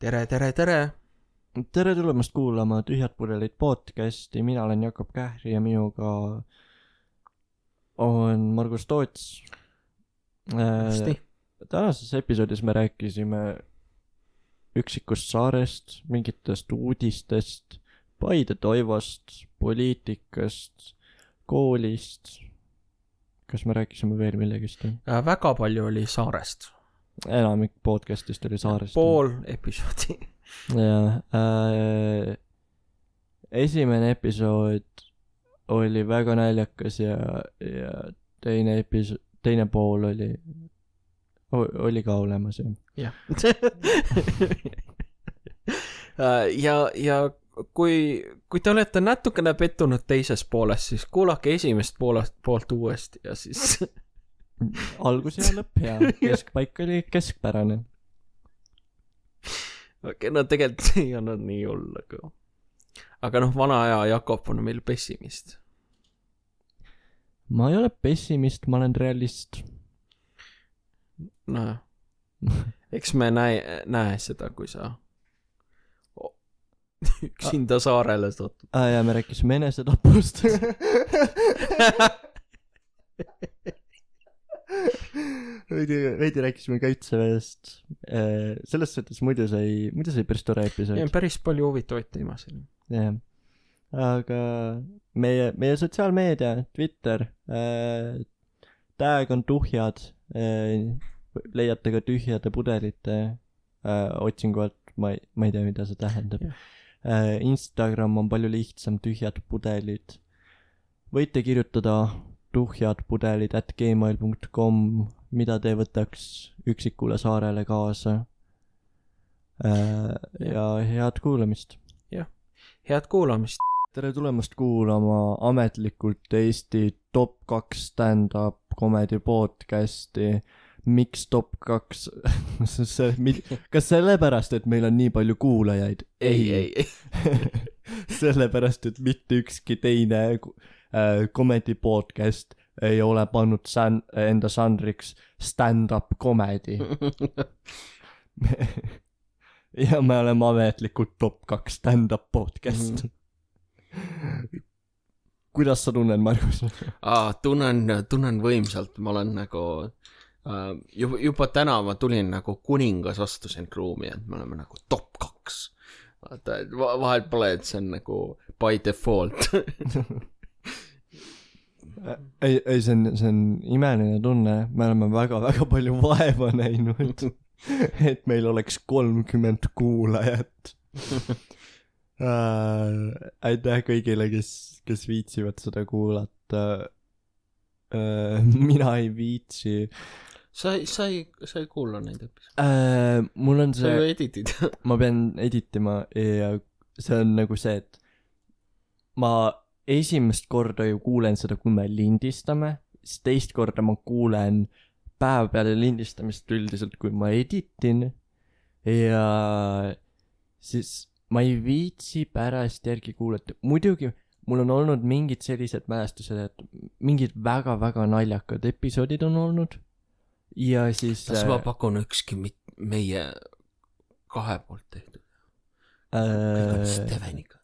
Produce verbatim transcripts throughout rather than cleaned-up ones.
tere, tere, tere! Tere tulemast kuulama Tühjad pudelid podcasti, mina olen Jakob Kähri ja minuga on Margus Toots. Hästi. Tänases episoodis me rääkisime üksikust saarest, mingitest uudistest, Paide Toivost, poliitikast, koolist. Kas me rääkisime veel millegist? Väga palju oli saarest. Enamik podcastist oli saarest. Pool episoodi. Ja, äh, esimene episood oli väga naljakas ja, ja teine episood, teine pool oli, oli ka olemas. Ja. ja, ja kui, kui te olete natukene pettunud teises pooles, siis kuulake esimest poolest, poolt uuesti ja siis... Algus ja lõpp ja keskpaik oli keskpärane. Okay, no tegelikult ei olnud nii hull, aga... aga noh, vana aja Jakob on meil pessimist. Ma ei ole pessimist, ma olen realist. No, eks me näe, näe seda, kui sa üksinda saarele satud. Ah, ja me rääkisime enesetapust. veidi, veidi rääkisime kaitseväest. Selles suhtes muidu sai, muidu sai päris tore episood. Ja päris palju huvitavaid teemasid. Jah. Aga meie, meie sotsiaalmeedia, Twitter, äh, tag on tuhjad, äh, leiate ka tühjade pudelite äh, otsinguvalt, ma ei, ma ei tea, mida see tähendab. Äh, Instagram on palju lihtsam, tühjad pudelid. Võite kirjutada tuhjadpudelid at gmail dot com, mida te võtaks üksikule saarele kaasa. Äh, ja head kuulamist. Jah, head kuulamist. Tere tulemast kuulama ametlikult Eesti top kaks stand-up comedy podcasti. Miks top kaks? Kas sellepärast, et meil on nii palju kuulajaid? Ei, ei, ei. Sellepärast, et mitte ükski teine äh, comedy podcast ei ole pannud san- enda žanriks stand-up comedy. Ja me oleme ametlikult top kaks stand-up podcast. Mm-hmm. Kuidas sa tunnen, Margus? Aa, tunnen, tunnen võimsalt. Ma olen nagu uh, juba, juba täna ma tulin nagu kuningas astusin ruumi, et me oleme nagu top kaks. Vaata, vahel pole, et see on nagu by default. ei, ei, see on, see on imeline tunne. Me oleme väga, väga palju vaeva näinud, et meil oleks kolmkümmend kuulajat. Uh, aitäh kõigile, kes, kes viitsivad seda kuulata. Uh, mina ei viitsi. Sa ei, sa ei, sa ei kuula neid episoode. Uh, mul on see... Sa ju editid. Ma pean editima ja see on nagu see, et ma esimest korda ju kuulen seda, kui me lindistame, siis teist korda ma kuulen päev peale lindistamist üldiselt, kui ma editin ja siis ma ei viitsi pärast järgi kuulata. Muidugi mul on olnud mingid sellised mälestused, et mingid väga-väga naljakad episoodid on olnud ja siis... Kas ma pakun ükski meie kahe poolt tehtud? Kõik on Steveniga.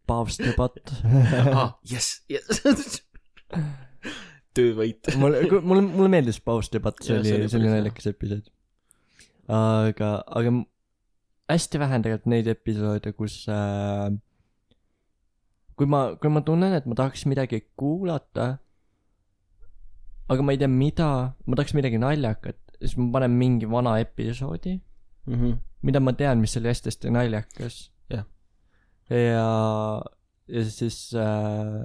Paavstepatt. Ah, yes, yes. Töövõit. Mulle, mulle, mulle meeldis Paavstepatt, see oli, see oli naljakas episood. Aga, aga hästi vähe tegelikult neid episoode, kus äh, kui ma, kui ma tunnen, et ma tahaks midagi kuulata, aga ma ei tea mida, ma tahaks midagi naljakat, siis ma panen mingi vana episoodi, mm-hmm. mida ma tean, mis oli hästi naljakas. Yeah. Ja, ja siis äh,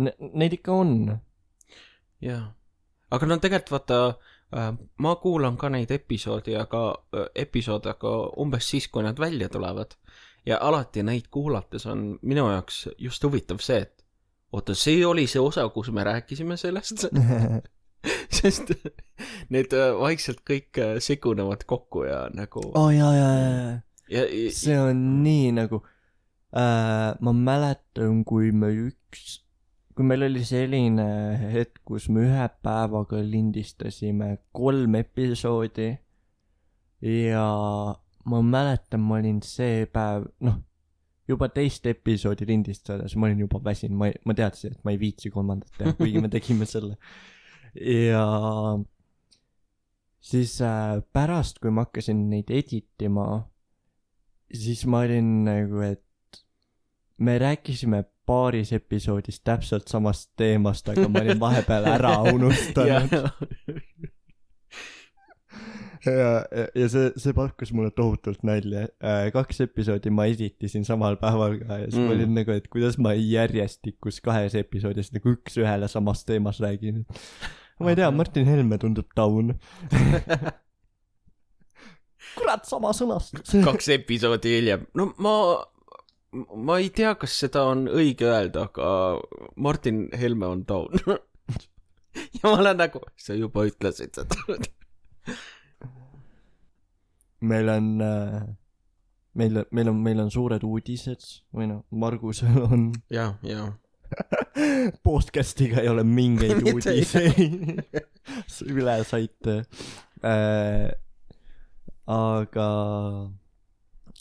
ne, neid ikka on. Jah. Aga no tegelikult vaata, ma kuulan ka neid episoodi, aga episood, aga umbes siis, kui nad välja tulevad. Ja alati neid kuulates on minu jaoks just huvitav see, et oota, see oli see osa, kus me rääkisime sellest. Sest need vaikselt kõik segunevad kokku ja nagu... Oh, jaa, jaa, jaa. Ja, ja, see on nii nagu... Äh, ma mäletan, kui me üks... Kui meil oli selline hetk, kus me ühe päevaga lindistasime kolm episoodi ja ma mäletan, ma olin see päev, noh, juba teist episoodi lindistades, ma olin juba väsin, ma, ma teadsin, et ma ei viitsi kolmandat teha, kuigi me tegime selle. Ja siis äh, pärast, kui ma hakkasin neid editima, siis ma olin nagu, et me rääkisime paaris episoodis täpselt samast teemast, aga ma olin vahepeal ära unustanud. ja, ja, ja see, see pakkus mulle tohutult nalja. Kaks episoodi ma editisin samal päeval ka ja siis mm. ma olin nagu, et kuidas ma järjestikus kahes episoodis nagu üks ühele samast teemas räägin. Ma ei tea, Martin Helme tundub taun. Kurat, sama sõnast. Kaks episoodi hiljem. No ma... Ma ei tea, kas seda on õige öelda, aga Martin Helme on taun. ja ma olen nagu, sa juba ütlesid seda. meil on, meil, meil on, meil on suured uudised, või no, Margusel on. ja, ja. Podcastiga ei ole mingeid uudiseid. üle saite. Äh, aga...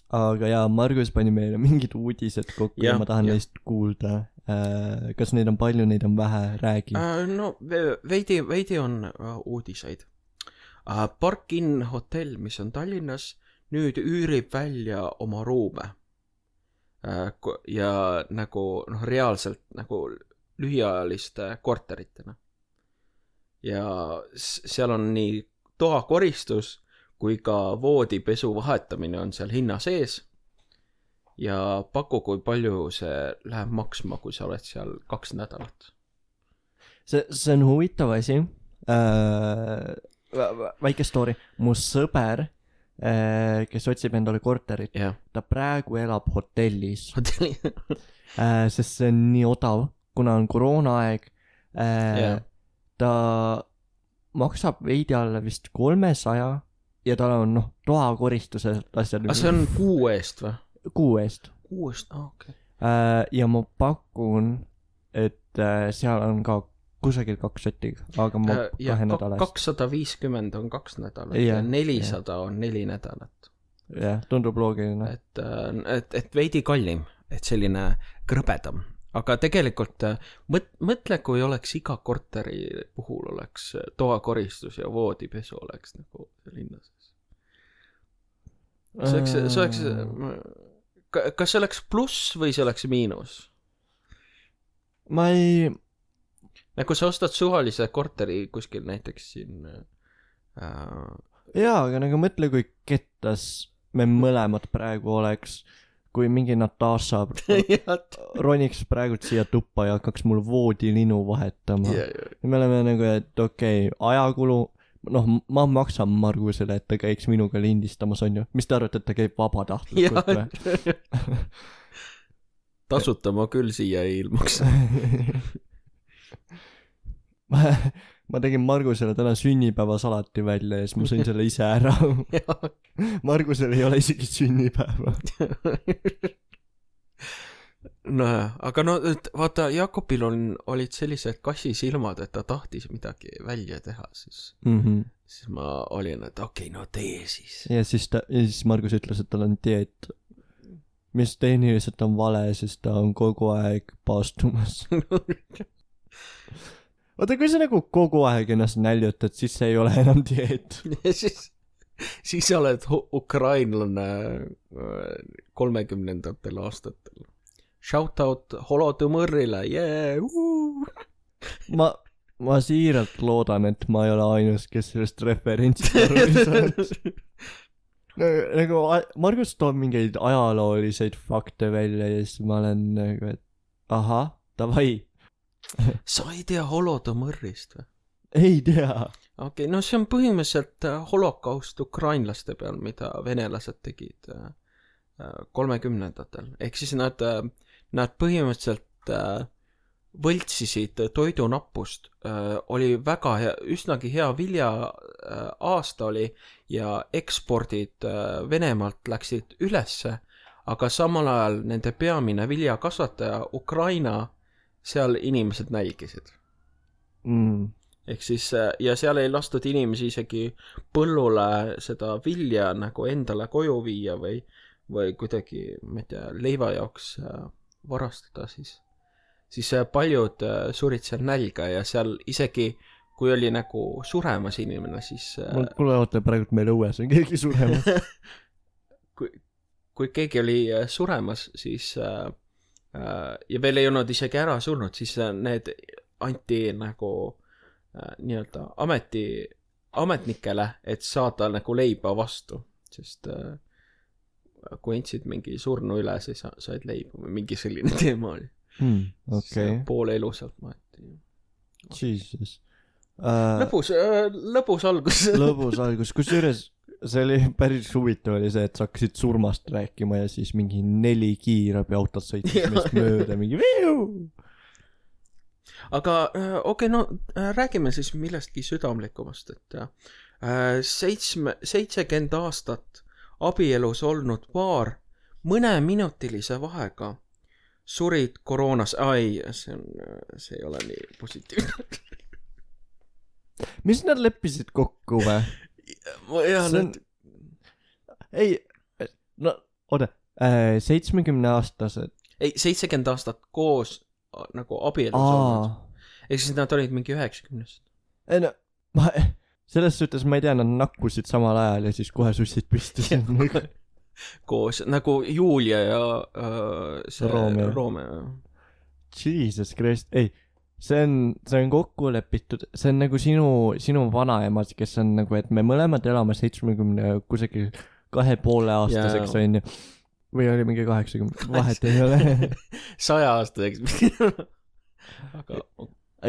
Aga jaa, Margus pani meile mingid uudised kokku ja, ja ma tahan ja. neist kuulda. Äh, kas neid on palju, neid on vähe, räägi. Äh, no veidi, veidi on uh, uudiseid. Uh, Park Inn hotell, mis on Tallinnas, nüüd üürib välja oma ruume. Uh, ja nagu noh, reaalselt nagu lühiajaliste korteritena. Ja seal on nii toakoristus kui ka voodipesu vahetamine on seal hinna sees ja paku, kui palju see läheb maksma, kui sa oled seal kaks nädalat. See, see on huvitav asi. Äh, väike story. Mu sõber, äh, kes otsib endale korterit, yeah. ta praegu elab hotellis. Hotelli. äh, sest see on nii odav, kuna on koroonaaeg. Äh, yeah. Ta maksab veidi alla vist kolmesaja ja tal on, noh, toakoristuse asjad. Aga see on kuu eest või? Kuu eest. Kuu eest, ah, okei. Okay. Ja ma pakun, et seal on ka kusagil kaks sotig, aga ma äh, kahe nädalast. kakssada viiskümmend on kaks nädalat ja, ja nelisada ja. on neli nädalat. Jah, tundub loogiline. Et, et, et veidi kallim, et selline krõbedam. Aga tegelikult mõt, mõtle, kui oleks iga korteri puhul oleks toakoristus ja voodipesu oleks nagu linnas. See oleks, see oleks, kas see oleks pluss või see oleks miinus? Ma ei... Nagu sa ostad suvalise korteri kuskil näiteks siin... Äh... Jaa, aga nagu mõtle, kui kettas me mõlemad praegu oleks... kui mingi Natasha roniks praegu siia tuppa ja hakkaks mul voodilinu vahetama. Yeah, yeah. Ja me oleme nagu, et okei, okay, ajakulu, noh, ma maksan Margusele, et ta käiks minuga lindistamas, on ju. Mis te arvate, et ta käib vabatahtlikult või? Tasuta ma küll siia ei ilmuks. ma, ma tegin Margusele täna sünnipäevasalati välja ja siis ma sõin selle ise ära. Margusel ei ole isegi sünnipäeva. no aga no vaata, Jakobil on, olid sellised kassisilmad, et ta tahtis midagi välja teha, siis, mm-hmm. siis ma olin, et okei, okay, no tee siis. Ja siis, ta, ja siis Margus ütles, et tal on dieet, mis tehniliselt on vale, sest ta on kogu aeg paastumas. Oota, kui sa nagu kogu aeg ennast näljutad, siis see ei ole enam dieet. Ja siis... siis sa oled ukrainlane kolmekümnendatel aastatel. Shoutout Holodõmõrrile, yeah! ma, ma siiralt loodan, et ma ei ole ainus, kes sellest referentsi aru ei saanud. Nagu Margus toob mingeid ajalooliseid fakte välja ja siis ma olen nagu, et aha, davai. Sa ei tea Holodõmõrrist või? Ei tea. Okei, okay, no see on põhimõtteliselt holokaust ukrainlaste peal, mida venelased tegid kolmekümnendatel. Ehk siis nad, nad põhimõtteliselt võltsisid toidunappust. Oli väga hea, üsnagi hea vilja aasta oli ja ekspordid Venemaalt läksid ülesse, aga samal ajal nende peamine viljakasvataja Ukraina, seal inimesed nälgisid. Mm. ehk siis ja seal ei lastud inimesi isegi põllule seda vilja nagu endale koju viia või, või kuidagi, ma ei tea, leiva jaoks varastada, siis, siis paljud surid seal nälga ja seal isegi kui oli nagu suremas inimene, siis kuule, oota, praegu meil õues on keegi suremas. kui, kui keegi oli suremas, siis äh, ja veel ei olnud isegi ära surnud, siis need anti nagu äh, nii-öelda ameti, ametnikele, et saada nagu leiba vastu, sest äh, kui andsid mingi surnu üle, siis said leiba või mingi selline teema oli. Hmm, okay. Poole elu sealt maeti. Jesus. Uh, lõbus, lõbus algus. lõbus algus, kus juures see oli päris huvitav oli see, et sa hakkasid surmast rääkima ja siis mingi neli kiirabi autot sõitis meist mööda, mingi viiu! Aga okei, okay, no räägime siis millestki südamlikumast, et seitsme, seitsekümmend aastat abielus olnud paar mõneminutilise vahega surid koroonas, ai, see on, see ei ole nii positiivne. Mis nad leppisid kokku või? Ja, on... need... ei, no oota, seitsmekümne aastased ei, seitsekümmend aastat koos nagu abielus olnud. Ehk siis nad olid mingi üheksakümnest. Ei no, ma, selles suhtes ma ei tea, nad nakkusid samal ajal ja siis kohe sussid püsti. koos, nagu Julia ja uh, see Romeo. Romeo. Jesus Christ, ei see on, see on kokku lepitud, see on nagu sinu, sinu vanaemad, kes on nagu, et me mõlemad elame seitsmekümne kusagil kahe poole aastaseks on ju. Või oli mingi kaheksakümne, vahet ei ole. Saja aastaseks. Aga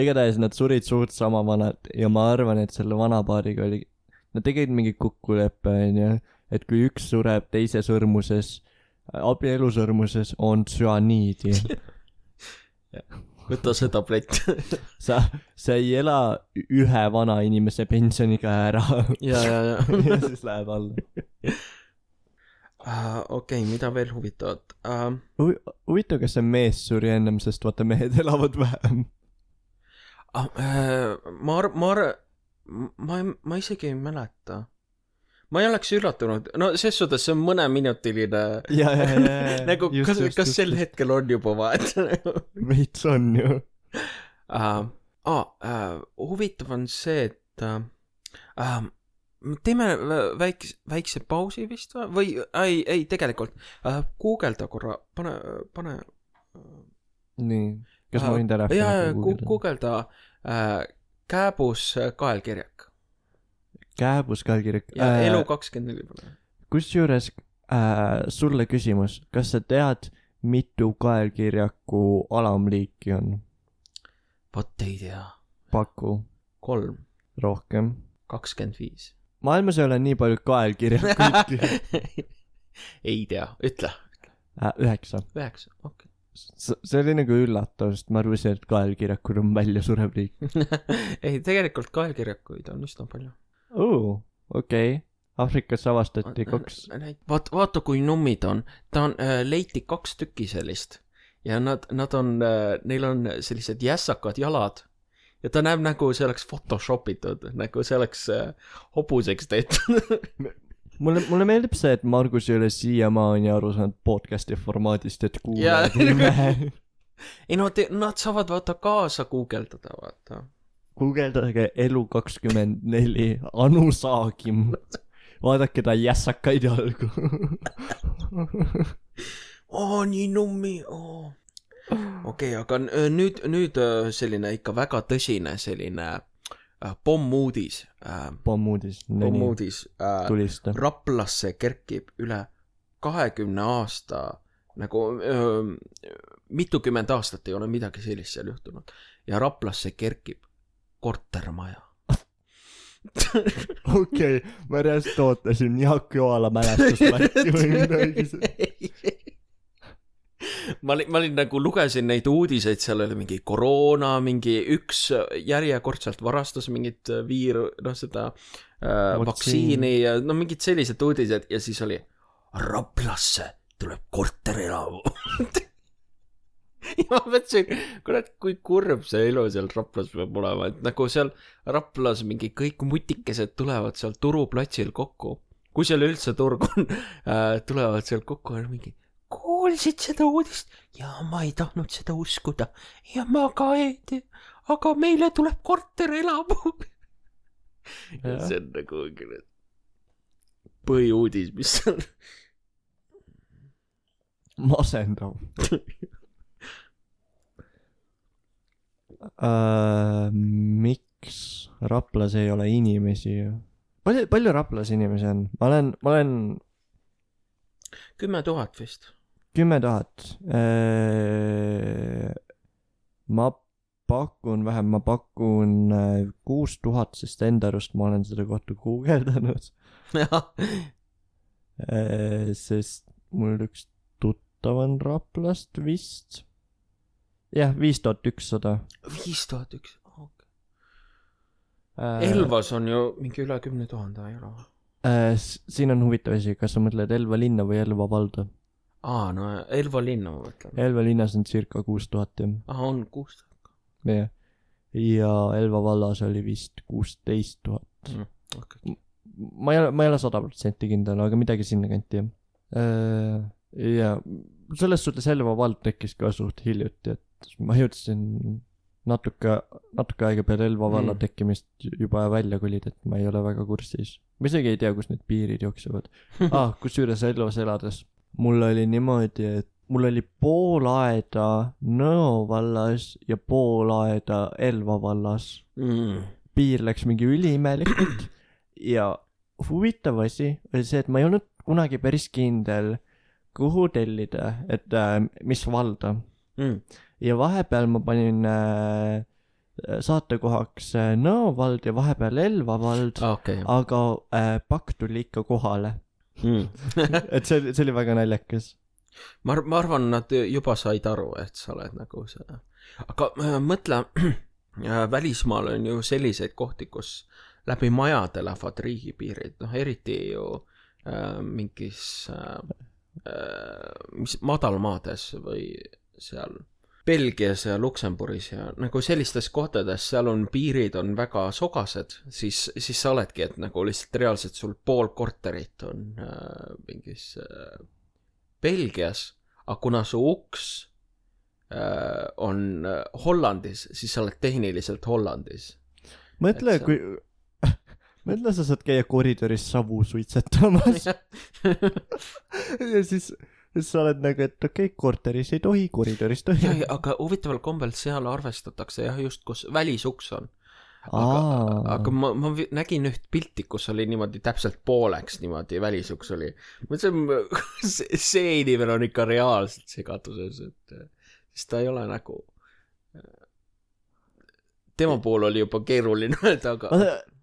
igatahes nad surid suurt sama vanad ja ma arvan, et selle vanapaariga oli, nad tegid mingi kokkuleppe on ju, et kui üks sureb teise sõrmuses, abielu sõrmuses on süaniidi. võta see tablett. sa, sa ei ela ühe vana inimese pensioniga ära. ja, ja, ja. ja siis läheb alla. Uh, okei, okay, mida veel huvitavat? Uh, Hu- huvitav, kas see mees suri ennem, sest vaata mehed elavad vähem. Uh, uh, ma ar-, ma ar-, ma, ma isegi ei mäleta. Ma ei oleks üllatunud. No ses suhtes see on mõneminutiline. Ja, ja, ja, ja. nagu, just, kas, just, kas just, sel just. Hetkel on juba vahet? Veits on ju. Uh, ah, uh, huvitav on see, et uh, uh, teeme väikse, väikse pausi vist või, ei, ei, tegelikult uh, guugelda korra, pane, pane uh, nii, kas uh, ma võin telefoni ja, guugelda, guugelda uh, Kääbus kaelkirjak Kääbus kaelkirjak ja äh, elu kakskümmend neli kus juures äh, sulle küsimus, kas sa tead mitu kaelkirjaku alamliiki on? Vot ei tea. Paku. Kolm. Rohkem. kakskümmend viis. Maailmas ei ole nii palju kaelkirjakuid. ei tea, ütle. Äh, üheksa. Üheksa, okei. Okay. See oli nagu üllatav, sest ma arvasin, et kaelkirjakud on välja surev liik. ei, tegelikult kaelkirjakuid on üsna palju. Oo, okei. Okay. Afrikas avastati kaks. Vaat, vaata, kui nummid on. Ta on, äh, leiti kaks tükki sellist. Ja nad, nad on, äh, neil on sellised jässakad jalad. Ja ta näeb nagu see oleks photoshopitud, nagu see oleks äh, hobuseks tehtud. mulle, mulle meeldib see, et Margus ei ole siiamaani aru saanud podcasti formaadist, et kuulajad ei näe. ei no, te, nad saavad vaata kaasa guugeldada, vaata. Guugeldage elu kakskümmend neli, Anu Saagim. Vaadake ta jässakaid jalgu. oo, nii nummi, oo. okei okay,, aga nüüd, nüüd selline ikka väga tõsine selline äh, pommuudis äh,. Pommuudis. Pommuudis äh, tulista. Raplasse kerkib üle kahekümne aasta, nagu äh, mitukümmend aastat ei ole midagi sellist seal juhtunud. Ja Raplasse kerkib kortermaja. okei, okay, ma reast ootasin Jaak Joala mälestusmärki või midagi. ma olin, ma olin nagu lugesin neid uudiseid, seal oli mingi koroona, mingi üks järjekordselt varastas mingit viiru, noh seda äh, vaktsiini ja no mingid sellised uudised ja siis oli Raplasse tuleb korterelamu. ja ma mõtlesin, kurat, kui kurb see elu seal Raplas peab olema, et nagu seal Raplas mingi kõik mutikesed tulevad seal turuplatsil kokku, kui seal üldse turg on, äh, tulevad seal kokku ja mingi, kuulsid seda uudist? Ja ma ei tahtnud seda uskuda ja ma ka ei tea, aga meile tuleb korter elamu. ja see on nagu põhiuudis, mis on masendav. Uh, miks Raplas ei ole inimesi? Palju, palju Raplas inimesi on? Ma olen, ma olen kümme tuhat vist. Kümme tuhat. Uh, ma pakun vähem, ma pakun uh, kuus tuhat, sest enda arust ma olen seda kohta guugeldanud. uh, sest mul üks tuttav on Raplast vist. jah, viis tuhat ükssada. viis tuhat üks, okei. Elvas on ju mingi üle kümne tuhande euro. Äh, siin on huvitav asi, kas sa mõtled Elva linna või Elva valda? Aa, no Elva linna ma mõtlen. Elva linnas on circa kuus tuhat, jah. Aha, on kuus tuhat. jah. Ja Elva vallas oli vist kuusteist tuhat. Mm, okay. Ma ei ole, ma ei ole sada protsenti kindel, aga midagi sinna kanti, jah. Äh, ja selles suhtes Elva vald tekkis ka suht hiljuti, et ma jõudsin natuke, natuke aega peale Elva valla mm. tekkimist juba välja kolida, et ma ei ole väga kursis. Ma isegi ei tea, kus need piirid jooksevad. ah, kusjuures Elvas elades. Mul oli niimoodi, et mul oli pool aeda Nõo vallas ja pool aeda Elva vallas. Mm. Piir läks mingi üliimelikult ja huvitav asi oli see, et ma ei olnud kunagi päris kindel, kuhu tellida, et äh, mis valda. Mm. Ja vahepeal ma panin äh, saatekohaks äh, Nõo vald ja vahepeal Elva vald, okay. aga äh, pakk tuli ikka kohale. Mm. et see, see oli väga naljakas. Ma, ma arvan, nad juba said aru, et sa oled nagu see. Aga äh, mõtle, äh, välismaal on ju selliseid kohti, kus läbi majade lähevad riigipiirid, noh eriti ju äh, mingis äh, äh, mis, madalmaades või seal Belgias ja Luksemburgis ja nagu sellistes kohtades, seal on piirid on väga sogased, siis, siis sa oledki, et nagu lihtsalt reaalselt sul pool korterit on äh, mingis äh, Belgias, aga kuna su uks äh, on äh, Hollandis, siis sa oled tehniliselt Hollandis. Mõtle, see... kui mõtle, sa saad käia koridoris savu suitsetamas ja siis siis sa oled nagu, et okei, okay, korteris ei tohi, koridoris tohi. Ja, ja, aga huvitaval kombel seal arvestatakse jah, just kus välisuks on. Aga, aga ma, ma nägin üht pilti, kus oli niimoodi täpselt pooleks niimoodi välisuks oli. See, see inimene on ikka reaalselt segaduses, et siis ta ei ole nagu tema pool oli juba keeruline öelda, aga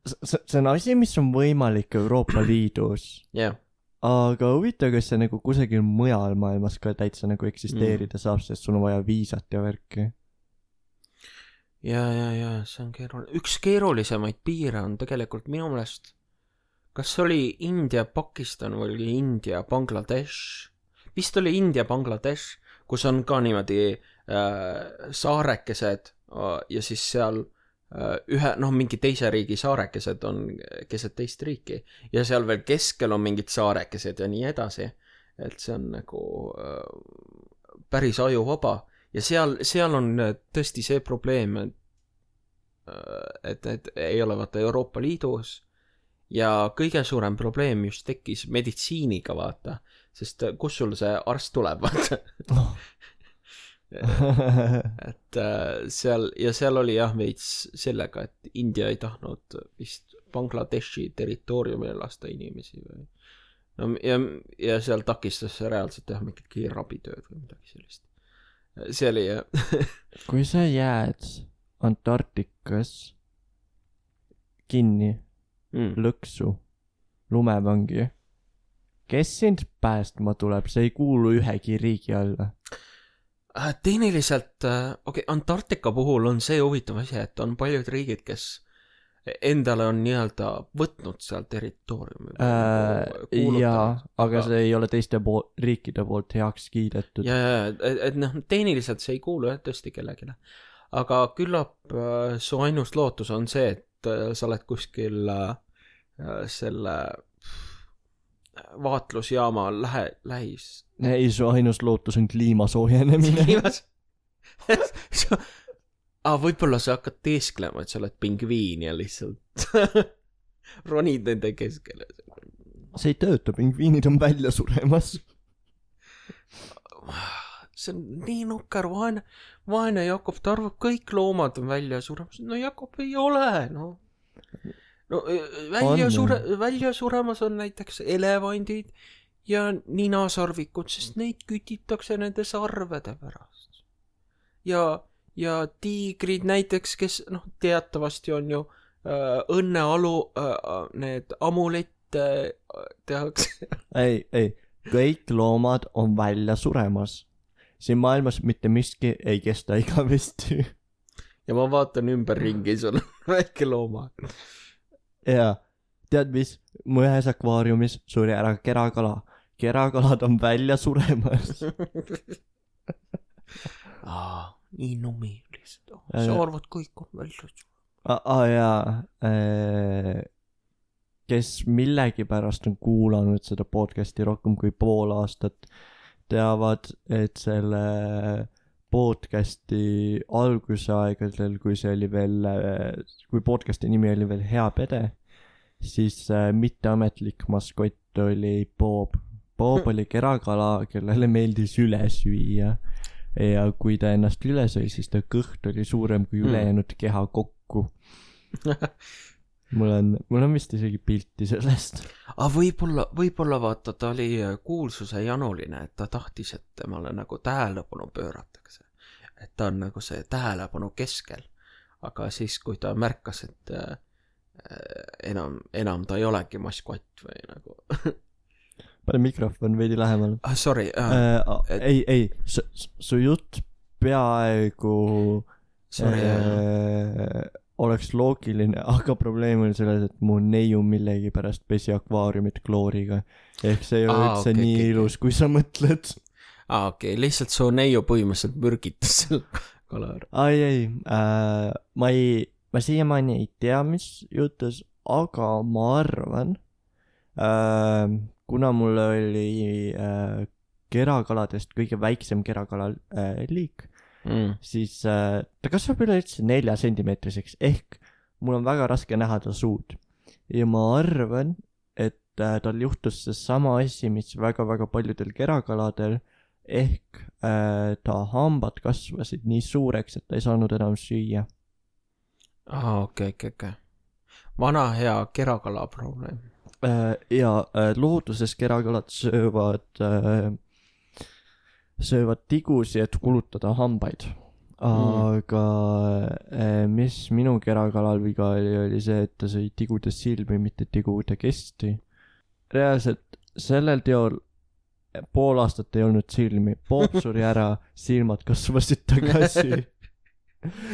see on asi, mis on võimalik Euroopa Liidus. jah. Aga huvitav, kas see nagu kusagil mujal maailmas ka täitsa nagu eksisteerida mm. saab, sest sul on vaja viisat ja värki. Ja, ja, ja, see on keeruline. Üks keerulisemaid piire on tegelikult minu meelest, kas oli India, Pakistan või oli India, Bangladesh? Vist oli India, Bangladesh, kus on ka niimoodi äh, saarekesed äh, ja siis seal ühe, noh, mingi teise riigi saarekesed on keset teist riiki ja seal veel keskel on mingid saarekesed ja nii edasi, et see on nagu äh, päris ajuvaba ja seal, seal on tõesti see probleem, et et need ei ole vaata Euroopa Liidus ja kõige suurem probleem just tekkis meditsiiniga vaata, sest kus sul see arst tuleb vaata oh. et äh, seal ja seal oli jah veits sellega, et India ei tahtnud vist Bangladeshi territooriumile lasta inimesi või no, ja, ja seal takistas see reaalselt teha mingit kiirabitööd või midagi sellist. See oli jah. Kui sa jääd Antarktikas kinni mm. lõksu lumevangi, kes sind päästma tuleb, see ei kuulu ühegi riigi alla. Tehniliselt, okei, okay, Antarktika puhul on see huvitav asi, et on paljud riigid, kes endale on nii-öelda võtnud seal territooriumi äh, jaa, aga see ei ole teiste pool, riikide poolt heaks kiidetud. ja, ja, et, et noh, tehniliselt see ei kuulu jah tõesti kellegile, aga küllap äh, su ainus lootus on see, et äh, sa oled kuskil äh, selle vaatlusjaama lähe, lähis. ei, su ainus lootus on kliima soojenemine. kliimas ah, võib-olla sa hakkad teesklema, et sa oled pingviin ja lihtsalt ronid nende keskele. see ei tööta, pingviinid on välja suremas. see on nii nukker, vaene, vaene Jakob, ta arvab, kõik loomad on välja suremas. no Jakob ei ole, no. no välja, sure, välja suremas on näiteks elevandid ja ninasarvikud, sest neid kütitakse nende sarvede pärast. ja ja tiigrid näiteks, kes noh, teatavasti on ju äh, õnnealu äh, need amulette äh, tehakse. ei, ei, kõik loomad on välja suremas. siin maailmas mitte miski ei kesta igavesti. ja ma vaatan ümberringi, sul on väike looma. jaa, tead mis, mu ühes akvaariumis suri ära kerakala. kerakalad on välja suremas. aa nii numi lihtsalt oh, sa arvad kõik on välja aa ah, jaa kes millegipärast on kuulanud seda podcasti rohkem kui pool aastat teavad, et selle podcasti algusaegadel, kui see oli veel kui podcasti nimi oli veel Hea Pede, siis mitteametlik maskott oli Bob. Bob oli kerakala, kellele meeldis üle süüa. Ja kui ta ennast üle sõi, siis ta kõht oli suurem kui ülejäänud keha kokku. mul on, mul on vist isegi pilti sellest. Ah, võib-olla, võib-olla vaata, ta oli kuulsuse januline, et ta tahtis, et temale nagu tähelepanu pööratakse. Et ta on nagu see tähelepanu keskel. Aga siis, kui ta märkas, et äh, enam, enam ta ei olegi maskott või nagu... pane mikrofon veidi lähemal. Ah, sorry. Uh, uh, et... Ei, ei, su, su jutt peaaegu sorry, uh, oleks loogiline, aga probleem oli selles, et mu neiu millegi pärast pesi akvaariumit klooriga. Ehk see ei ole ah, üldse okay, nii okay. ilus, kui sa mõtled. Ah, okei, okay. Lihtsalt su neiu põhimõtteliselt mürgitas selle kala ära. Ai, ei, uh, ma ei, ma siiamaani ei tea, mis jutus, aga ma arvan... Uh, kuna mul oli äh, kerakaladest kõige väiksem kerakala äh, liik, mm. siis äh, ta kasvab üleüldse nelja sentimeetriseks, ehk mul on väga raske näha ta suud. Ja ma arvan, et äh, tal juhtus see sama asi, mis väga-väga paljudel kerakaladel, ehk äh, ta hambad kasvasid nii suureks, et ta ei saanud enam süüa. Ah, okei, okay, okei, okei. Vana hea kerakala probleem. Ja looduses kerakalad söövad, söövad tigusi, et kulutada hambaid. Aga mm. mis minu kerakalal viga oli, oli see, et ta sõi tigude silmi, mitte tigude kesti. Reaalselt sellel teol pool aastat ei olnud silmi. Bob suri ära, silmad kasvasid tagasi.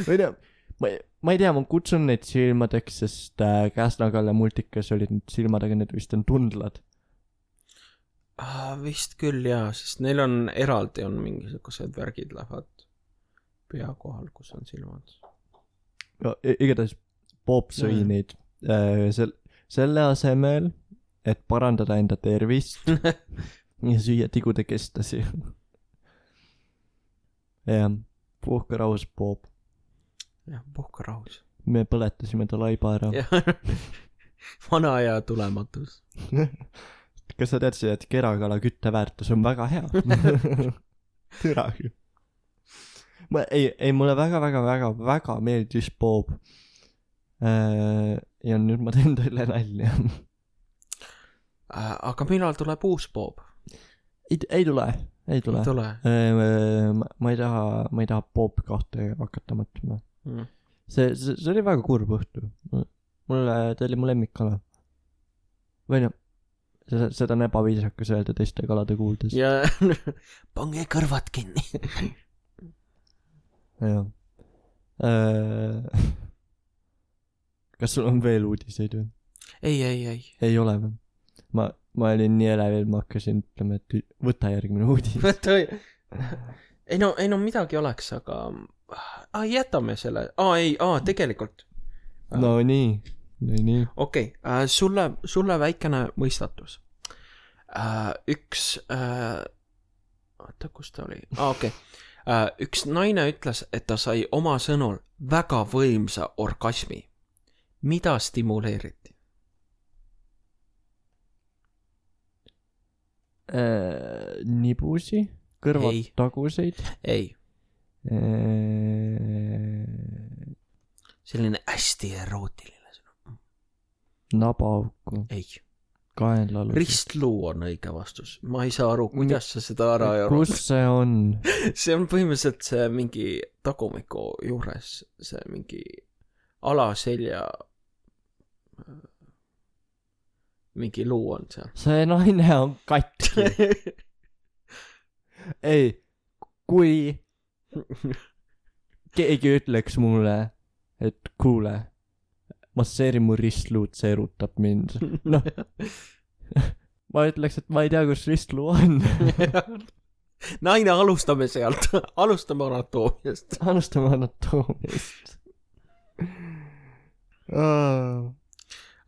Või tea, ma ei... Ma ei tea, ma kutsun neid silmadeks, sest äh, Käsna-Kalle multikas olid need silmad, aga need vist on tundlad. Ah, vist küll jaa, sest neil on eraldi on mingisugused värgid lähevad pea kohal, kus on silmad. No, igatahes Bob sõi mm. neid äh, sel, selle asemel, et parandada enda tervist ja süüa tigude kestasi. jah, puhka rahus, Bob. jah, puhka rahus. Me põletasime ta laiba ära. Vana ja tulematus. Kas sa teadsid, et kerakala kütteväärtus on väga hea? Türa. Ma, ei, ei, mulle väga, väga, väga, väga meeldis Bob. Äh, ja nüüd ma teen teile nalja. äh, aga millal tuleb uus Bob? Ei, ei tule, ei tule. Ei tule. Äh, ma, ma ei taha, ma ei taha Bob kahte hakata mõtlema. Mm. See, see, see oli väga kurb õhtu. Mulle, ta oli mu lemmikala. Või noh, seda, seda on ebaviisakas öelda teiste kalade kuuldes. Ja pange kõrvad kinni. jah. kas sul on veel uudiseid või? ei, ei, ei. ei ole või? Ma, ma olin nii elevil, ma hakkasin ütlema, et võta järgmine uudis. võta, ei no, ei no midagi oleks, aga ah, jätame selle, aa ei, aa tegelikult. no nii, nii, nii. okei okay, äh,, sulle, sulle väikene mõistatus äh,. Üks äh,, oota, kus ta oli? aa, okei okay. äh,. Üks naine ütles, et ta sai oma sõnul väga võimsa orgasmi. Mida stimuleeriti? Äh, nibusi? Kõrvad ei. Taguseid? Ei. Äh... selline hästi erootiline sõna. Nabaauku? Ei. Kaenlalus? Ristluu on õige vastus. Ma ei saa aru, kuidas sa seda ära ei aru. Kus see on? see on põhimõtteliselt see mingi tagumiku juures, see mingi alaselja mingi luu on seal. see naine on katki. ei, kui keegi ütleks mulle, et kuule, masseeri mu ristluud, see erutab mind. noh, ma ütleks, et ma ei tea, kus ristluu on. naine, alustame sealt. alustame anatoomiast. alustame anatoomiast. Oh.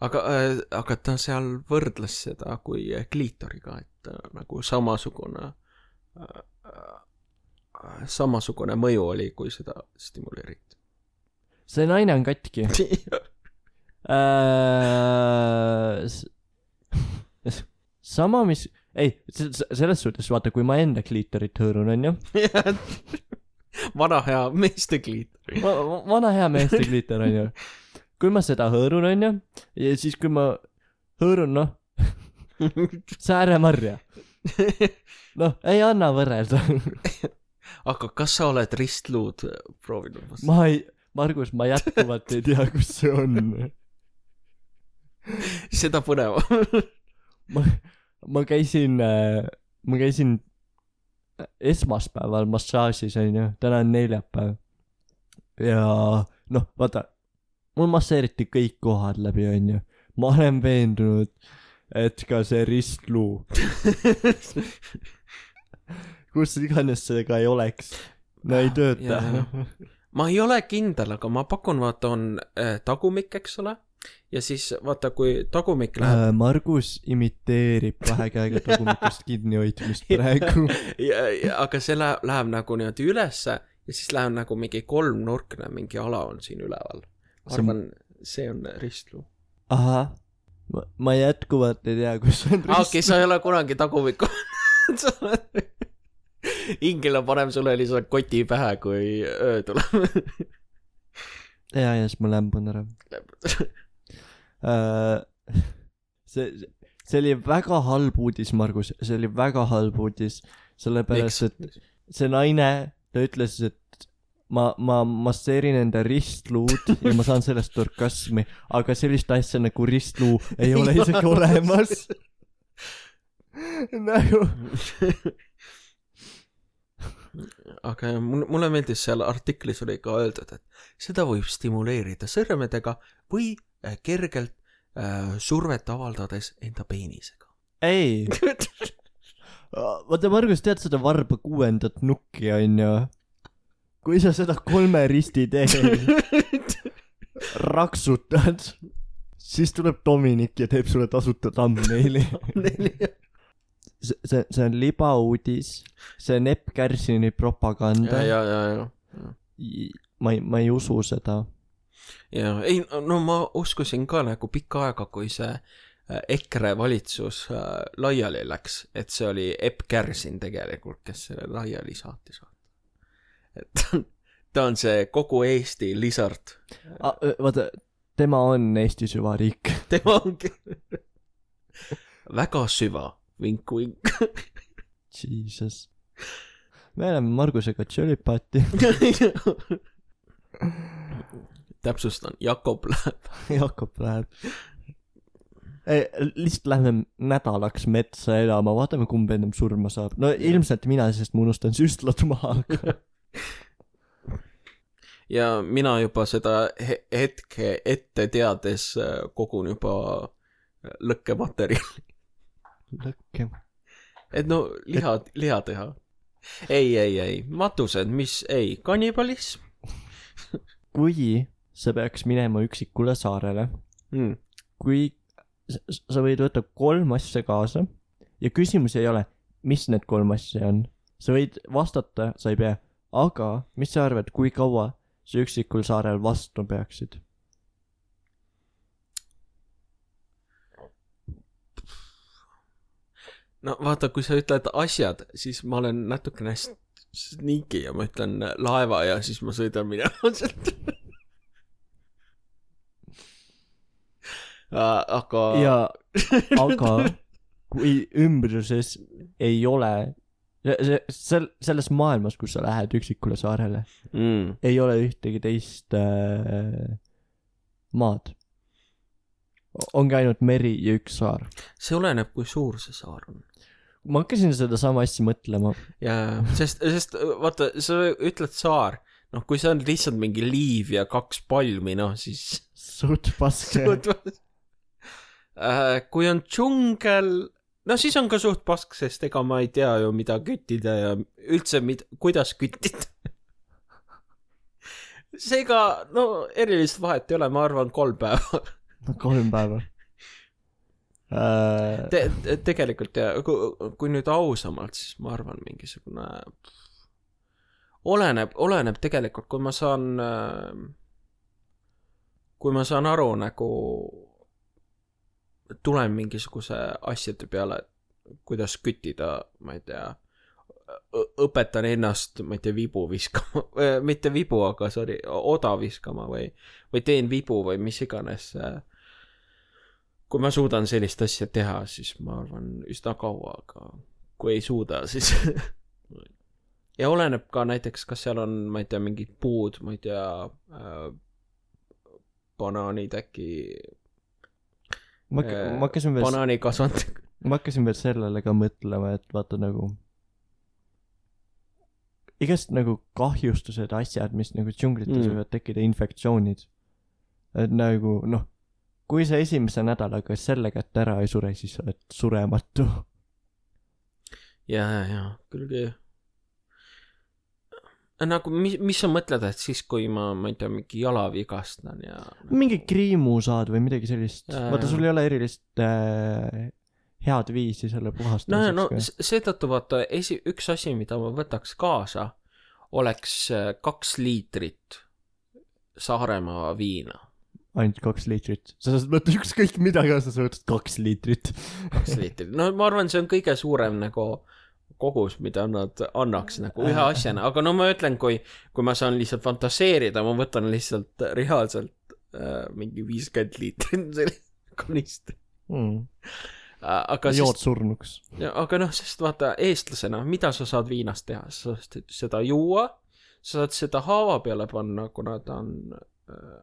aga, äh, aga ta seal võrdles seda kui kliitoriga, et äh, nagu samasugune äh, äh, samasugune mõju oli, kui seda stimuleeriti. see naine on katki. äh, sama, mis ei, selles suhtes vaata, kui ma enda kliitorit hõõrun, on ju? vana hea meeste kliitor. vana hea meeste kliitor, on ju? kui ma seda hõõrun, on ju, ja siis kui ma hõõrun, noh, sääremarja. noh, ei anna võrrelda. aga kas sa oled ristluud proovinud? ma ei, Margus, ma jätkuvalt ei tea, kus see on. seda põneva. ma, ma käisin, ma käisin esmaspäeval massaažis, on ju, täna on neljapäev. ja noh, vaata, mul masseeriti kõik kohad läbi, on ju. ma olen veendunud, et ka see ristluu, kus iganes see ka ei oleks, no ei tööta. ma ei ole kindel, aga ma pakun, vaata, on äh, tagumik, eks ole, ja siis vaata, kui tagumik läheb äh, Margus imiteerib kahe käega tagumikust kinni hoidmist praegu. ja, ja, aga see läheb, läheb nagu niimoodi ülesse ja siis läheb nagu mingi kolmnurkne, mingi ala on siin üleval. arvan, see on ristluu. ahah, ma, ma jätkuvalt ei tea, kus on ristluu. okei, sa ei ole kunagi tagumikku. ingel on panem sulle lihtsalt koti pähe, kui öö tuleb. ja, ja siis ma lämbun ära. uh, see, see oli väga halb uudis, Margus. see oli väga halb uudis. Sellepärast, et see naine, ta ütles, et ma, ma masseerin enda ristluud ja ma saan sellest orgasmi, aga sellist asja nagu ristluu ei ole isegi olemas. nagu. aga mulle meeldis seal artiklis oli ka öeldud, et seda võib stimuleerida sõrmedega või kergelt äh, survet avaldades enda peenisega. ei. vaata, Margus, tead seda varba kuuendat nukki, on ju? kui sa seda kolme risti teed, raksutad, siis tuleb Dominik ja teeb sulle tasuta thumbnaili. see, see, see on libauudis, see on Epp Kärsini propaganda. ja, ja, ja, ja. ma ei, ma ei usu seda. ja, ei, no ma uskusin ka nagu pikka aega, kui see EKRE valitsus äh, laiali läks, et see oli Epp Kärsin tegelikult, kes selle laiali saatis. et ta on see kogu Eesti lisard. Vaata, tema on Eesti süvariik. tema ongi väga süva, vink, vink. Jesus. me oleme Margusega tšölipati. täpsustan, Jakob läheb. Jakob läheb. Ei, lihtsalt lähme nädalaks metsa elama, vaatame, kumb ennem surma saab. No ilmselt mina, sest ma unustan süstlad maha. ja mina juba seda hetke ette teades kogun juba lõkkematerjali. Lõkke. Et no liha, liha teha. Ei, ei, ei. Matused, mis ei. Kannibalism. Kui sa peaks minema üksikule saarele, mm. kui sa võid võtta kolm asja kaasa ja küsimus ei ole, mis need kolm asja on. Sa võid vastata, sa ei pea. Aga mis sa arvad, kui kaua sa üksikul saarel vastu peaksid? No vaata, kui sa ütled asjad, siis ma olen natukene sneaky ja ma ütlen laeva ja siis ma sõidan minema sealt. Aga... Ja, aga kui ümbruses ei ole, sel, selles maailmas, kus sa lähed üksikule saarele, mm. ei ole ühtegi teist äh, maad. Ongi ainult meri ja üks saar. See oleneb, kui suur see saar on. Ma hakkasin seda sama asja mõtlema. Ja, sest, sest vaata, sa ütled saar, noh, kui see on lihtsalt mingi liiv ja kaks palmi, noh, siis... Suht paske. Suht paske. Äh, kui on džungel, no siis on ka suht pask, sest ega ma ei tea ju, mida küttida ja üldse, mid, kuidas küttida. Seega, no, erilist vahet ei ole, ma arvan, kolm päeva. kolm päeva. Äh... Te, te, tegelikult, ja, kui, kui nüüd ausamalt, siis ma arvan, mingisugune... Oleneb, oleneb tegelikult, kui ma saan... Kui ma saan aru, nagu... tulen mingisuguse asjade peale, kuidas küttida, ma ei tea, õpetan ennast, ma ei tea, vibu viskama, mitte vibu, aga sorry, oda viskama või, või teen vibu või mis iganes. Kui ma suudan sellist asja teha, siis ma arvan üsna kaua, aga kui ei suuda, siis ja oleneb ka näiteks, kas seal on, ma ei tea, mingid puud, ma ei tea, äh, banaanid äkki Ma, ma hakkasin veel banaani kasvand. ma hakkasin veel sellele ka mõtlema, et vaata nagu igast nagu kahjustused asjad, mis nagu džunglites mm. võivad tekkida, infektsioonid, et nagu noh, kui sa esimese nädalaga selle kätte ära ei sure, siis sa oled surematu. ja, ja, küll nagu, mis, mis sa mõtled, et siis kui ma, ma ei tea, mingi jala vigastan ja... mingi kriimu saad või midagi sellist. Ja, vaata, sul ei ole erilist äh, head viisi selle puhastamiseks. No, no seetõttu vaata, esi, üks asi, mida ma võtaks kaasa, oleks kaks liitrit Saaremaa viina. Ainult kaks liitrit. Sa saad võtta ükskõik mida kaasa, sa võtad kaks liitrit. kaks liitrit. No ma arvan, see on kõige suurem nagu... kogus, mida nad annaks nagu ühe asjana, aga no ma ütlen, kui, kui ma saan lihtsalt fantaseerida, ma võtan lihtsalt reaalselt äh, mingi viiskümmend liitrit sellist konist. Mm. Aga jood sest, surnuks. Aga noh, sest vaata, eestlasena, mida sa saad viinast teha? Sa saad seda juua, sa saad seda haava peale panna, kuna ta on, äh,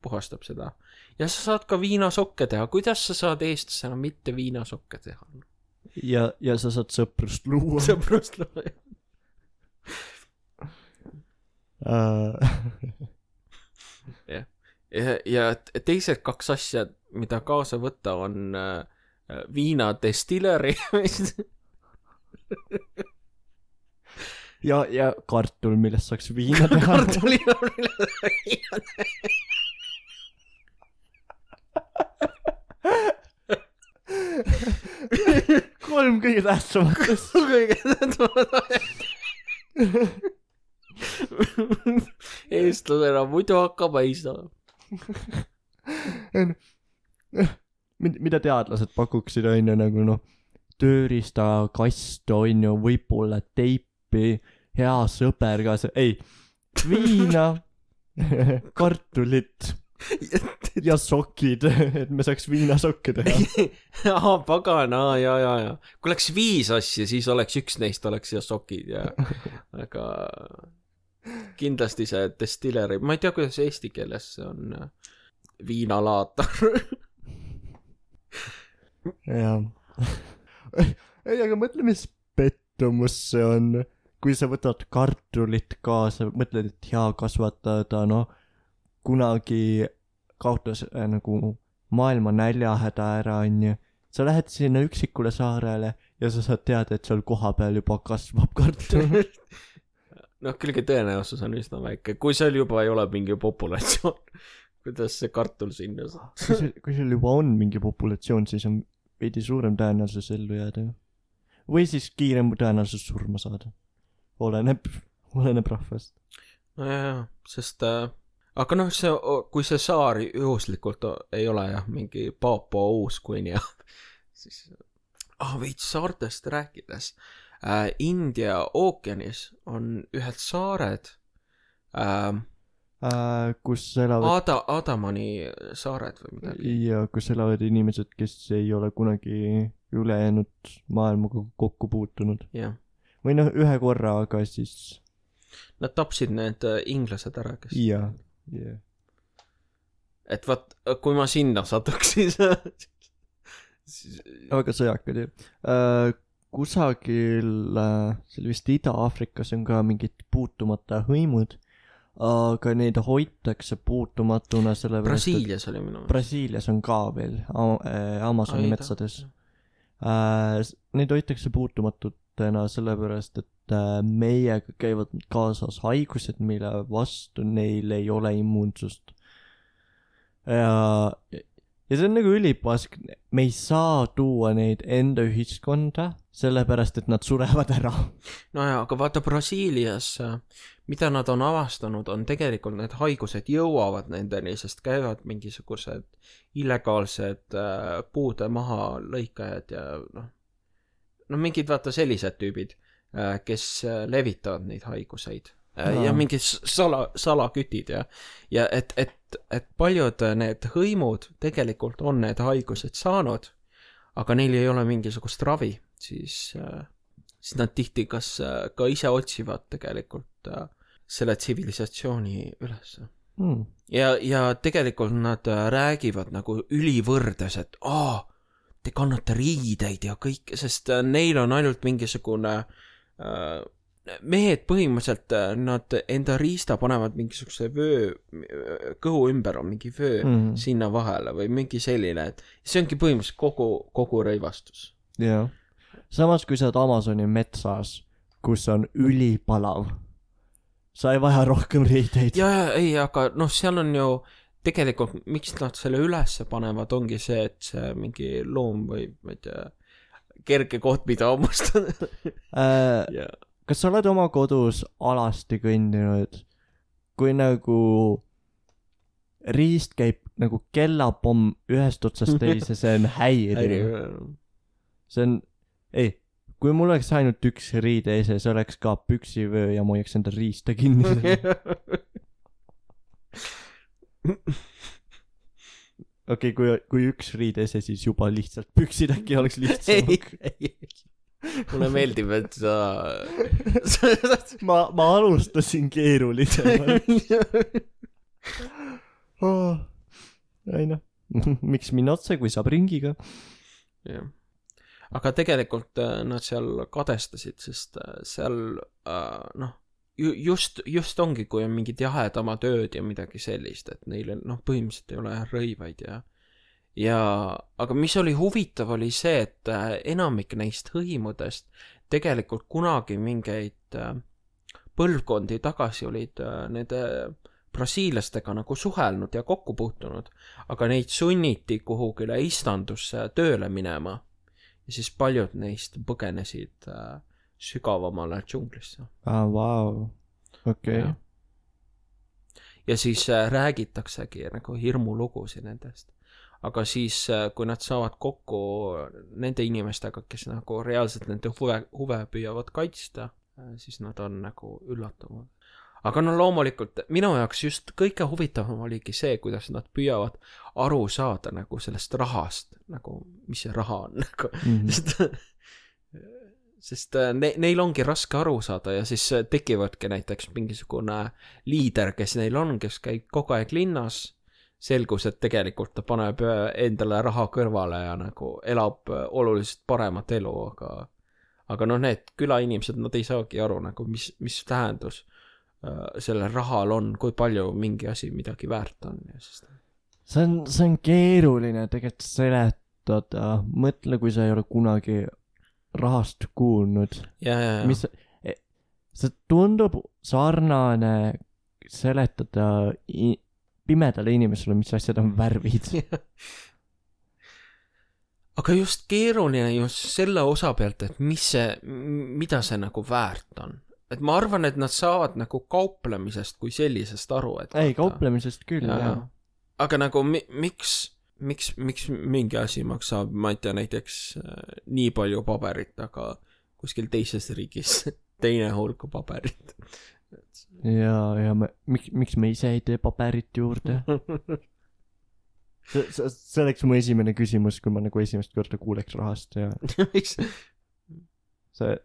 puhastab seda. Ja sa saad ka viinasokke teha. Kuidas sa saad eestlasena mitte viinasokke teha? Ja, ja sa saad sõprust luua. Sõprust luua, uh. ja. ja. Ja teised kaks asja, mida kaasa võtta, on uh, viina destilleri. ja, ja kartul, millest saaks viina teha. Kartuli, millest saaks viina teha. kolm kõige tähtsamatest. kõige tähtsamatest. Eestlasena muidu hakkab ei saa. Mida teadlased pakuksid, on ju nagu noh, tööriista, kast, on ju, võib-olla teipi, hea sõber ka see, ei, viina, kartulit ja sokid, et me saaks viinasokke teha. Aa, pagana, ja, ja, ja. Kui oleks viis asja, siis oleks üks neist oleks ja sokid, ja. Aga kindlasti see destilleri, ma ei tea, kuidas eesti keeles see on viinalaatar. jah. Ei, aga mõtle, mis pettumus see on. kui sa võtad kartulit kaasa, mõtled, et hea kasvatada, noh, kunagi kaotas äh, nagu maailma näljahäda ära, onju. Sa lähed sinna üksikule saarele ja sa saad teada, et seal kohapeal juba kasvab kartul. noh, külge tõenäosus on üsna väike. Kui seal juba ei ole mingi populatsioon, kuidas see kartul sinna saab? kui, seal, kui seal juba on mingi populatsioon, siis on veidi suurem tõenäosus ellu jääda. Või siis kiirem tõenäosus surma saada. Oleneb, oleneb rahvast. No jah, sest... Äh... Aga noh, see, kui see saar juhuslikult ei ole jah, mingi Paapua Uus-Guinea, siis ah, veits saartest rääkides. Äh, India ookeanis on ühed saared, äh, äh, kus elavad... Ada, Adamani saared või midagi. Ja kus elavad inimesed, kes ei ole kunagi ülejäänud maailmaga kokku puutunud. Ja. Või noh, ühe korra, aga siis... Nad tapsid need inglased ära, kes... Ja. Yeah. Et vaat, kui ma sinna satuksin siis... väga sõjakad ju äh, kusagil äh, seal vist Ida-Aafrikas on ka mingid puutumata hõimud, aga neid hoitakse puutumatuna sellepärast, Brasiilias oli minu Brasiilias on ka veel Amazoni Aida. Metsades äh, neid hoitakse puutumatutena sellepärast, et meiega käivad kaasas haigused, mille vastu neil ei ole immuunsust. Ja, ja see on nagu ülipask. Me ei saa tuua neid enda ühiskonda, sellepärast, et nad surevad ära. No ja, aga vaata Brasiilias, mida nad on avastanud, on tegelikult need haigused jõuavad nendeni, sest käivad mingisugused illegaalsed puude maha lõikajad ja noh, no mingid vaata sellised tüübid, kes levitavad neid haiguseid no. Ja mingid sala, salakütid ja, ja et, et, et paljud need hõimud tegelikult on need haigused saanud, aga neil ei ole mingisugust ravi, siis, siis nad tihti kas ka ise otsivad tegelikult selle tsivilisatsiooni üles. Hmm. Ja, ja tegelikult nad räägivad nagu ülivõrdes, et aa, te kannate riideid ja kõik, sest neil on ainult mingisugune mehed põhimõtteliselt nad enda riista panevad mingisuguse vöö, kõhu ümber on mingi vöö mm. sinna vahele või mingi selline, et see ongi põhimõtteliselt kogu, kogu rõivastus. Jah. Samas kui sa oled Amazoni metsas, kus on ülipalav, sa ei vaja rohkem riideid. Ja, ja, ei, aga noh, seal on ju tegelikult, miks nad selle ülesse panevad, ongi see, et see mingi loom või ma ei tea, kerge koht, mida hammustada äh, yeah. Kas sa oled oma kodus alasti kõndinud, kui nagu riist käib nagu kellapomm ühest otsast teise, see on häiriv. See on, ei, kui mul oleks ainult üks riideese, see oleks ka püksivöö ja ma hoiaks enda riista kinni. Okei, okay, kui, kui üks riidese, siis juba lihtsalt püksid äkki oleks lihtsam. Mulle meeldib, et sa... ma, ma alustasin keerulisemalt. oh, ei noh, miks minna otse, kui saab ringiga? Jah. Aga tegelikult nad seal kadestasid, sest seal, noh, just, just ongi, kui on mingid jahedama tööd ja midagi sellist, et neil noh, põhimõtteliselt ei ole rõivaid ja, ja, aga mis oli huvitav, oli see, et enamik neist hõimudest tegelikult kunagi mingeid põlvkondi tagasi olid nende brasiilastega nagu suhelnud ja kokku puutunud, aga neid sunniti kuhugile istandusse tööle minema ja siis paljud neist põgenesid sügavamale džunglisse. Ah, vau. Okei. Ja. ja siis äh, räägitaksegi nagu hirmulugusid nendest. Aga siis, äh, kui nad saavad kokku nende inimestega, kes nagu reaalselt nende huve, huve püüavad kaitsta, äh, siis nad on nagu üllatuvad. Aga no loomulikult, minu jaoks just kõige huvitavam oligi see, kuidas nad püüavad aru saada nagu sellest rahast, nagu mis see raha on, nagu mm-hmm. sest ne, neil ongi raske aru saada ja siis tekivadki näiteks mingisugune liider, kes neil on, kes käib kogu aeg linnas, selgus, et tegelikult ta paneb endale raha kõrvale ja nagu elab oluliselt paremat elu, aga, aga noh, need külainimesed, nad ei saagi aru nagu, mis, mis tähendus äh, sellel rahal on, kui palju mingi asi midagi väärt on. Ja sest... see on, see on keeruline tegelikult seletada. Mõtle, kui sa ei ole kunagi rahast kuulnud. Ja, ja, ja. Mis, see tundub sarnane seletada i- pimedale inimesele, mis asjad on värvid. Aga just keeruline just selle osa pealt, et mis see, mida see nagu väärt on. Et ma arvan, et nad saavad nagu kauplemisest kui sellisest aru. Et ei, kauplemisest küll, ja, jah. Aga nagu mi- miks, miks, miks mingi asi maksab, ma ei tea, näiteks äh, nii palju paberit, aga kuskil teises riigis teine hulk paberit. ja, ja me, miks, miks me ise ei tee paberit juurde? see, see, see oleks mu esimene küsimus, kui ma nagu esimest korda kuuleks rahast ja miks? see,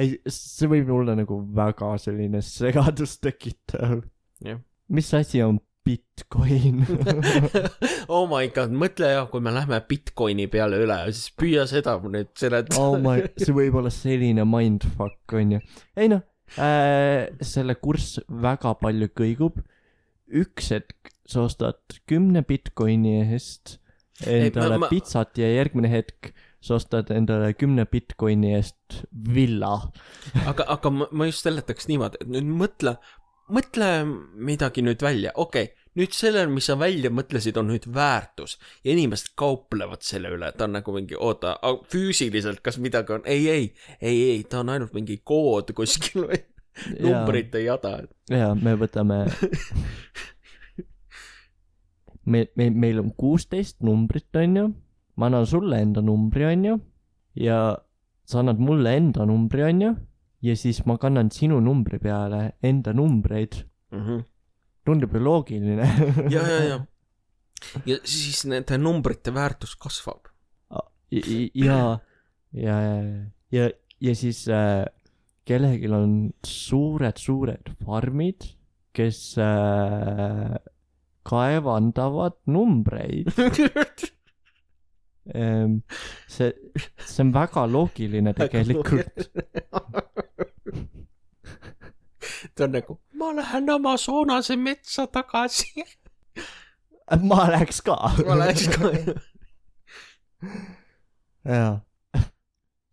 ei, see võib olla nagu väga selline segadust tekitav. Yeah. Mis asi on Bitcoin? Oh my god, mõtle jah, kui me lähme Bitcoini peale üle, siis püüa seda nüüd seletada. Oh my, see võib olla selline mindfuck, on ju. Ei noh, äh, selle kurss väga palju kõigub. Üks hetk sa ostad kümne Bitcoini eest endale ei, ma, ma... pitsat ja järgmine hetk sa ostad endale kümne Bitcoini eest villa. aga, aga ma, ma just seletaks niimoodi, et nüüd mõtle, mõtle midagi nüüd välja. Okei, okay, nüüd sellel, mis sa välja mõtlesid, on nüüd väärtus ja inimesed kauplevad selle üle. Ta on nagu mingi, oota, füüsiliselt kas midagi on? Ei, ei, ei, ei, ta on ainult mingi kood kuskil või numbrite jada. Ja, me võtame me, me, meil on kuusteist numbrit, on ju. Ma annan sulle enda numbri, on ju. Ja sa annad mulle enda numbri, on ju. Ja siis ma kannan sinu numbri peale enda numbreid. Mm-hmm. Tundub ju loogiline. ja, ja, ja. Ja siis nende numbrite väärtus kasvab. Ja, ja, ja, ja, ja siis äh, kellelgi on suured, suured farmid, kes äh, kaevandavad numbreid. ehm, see, see on väga loogiline tegelikult. Ta on nagu, ma lähen Amazonase metsa tagasi. ma läheks ka. ma läheks ka. jaa.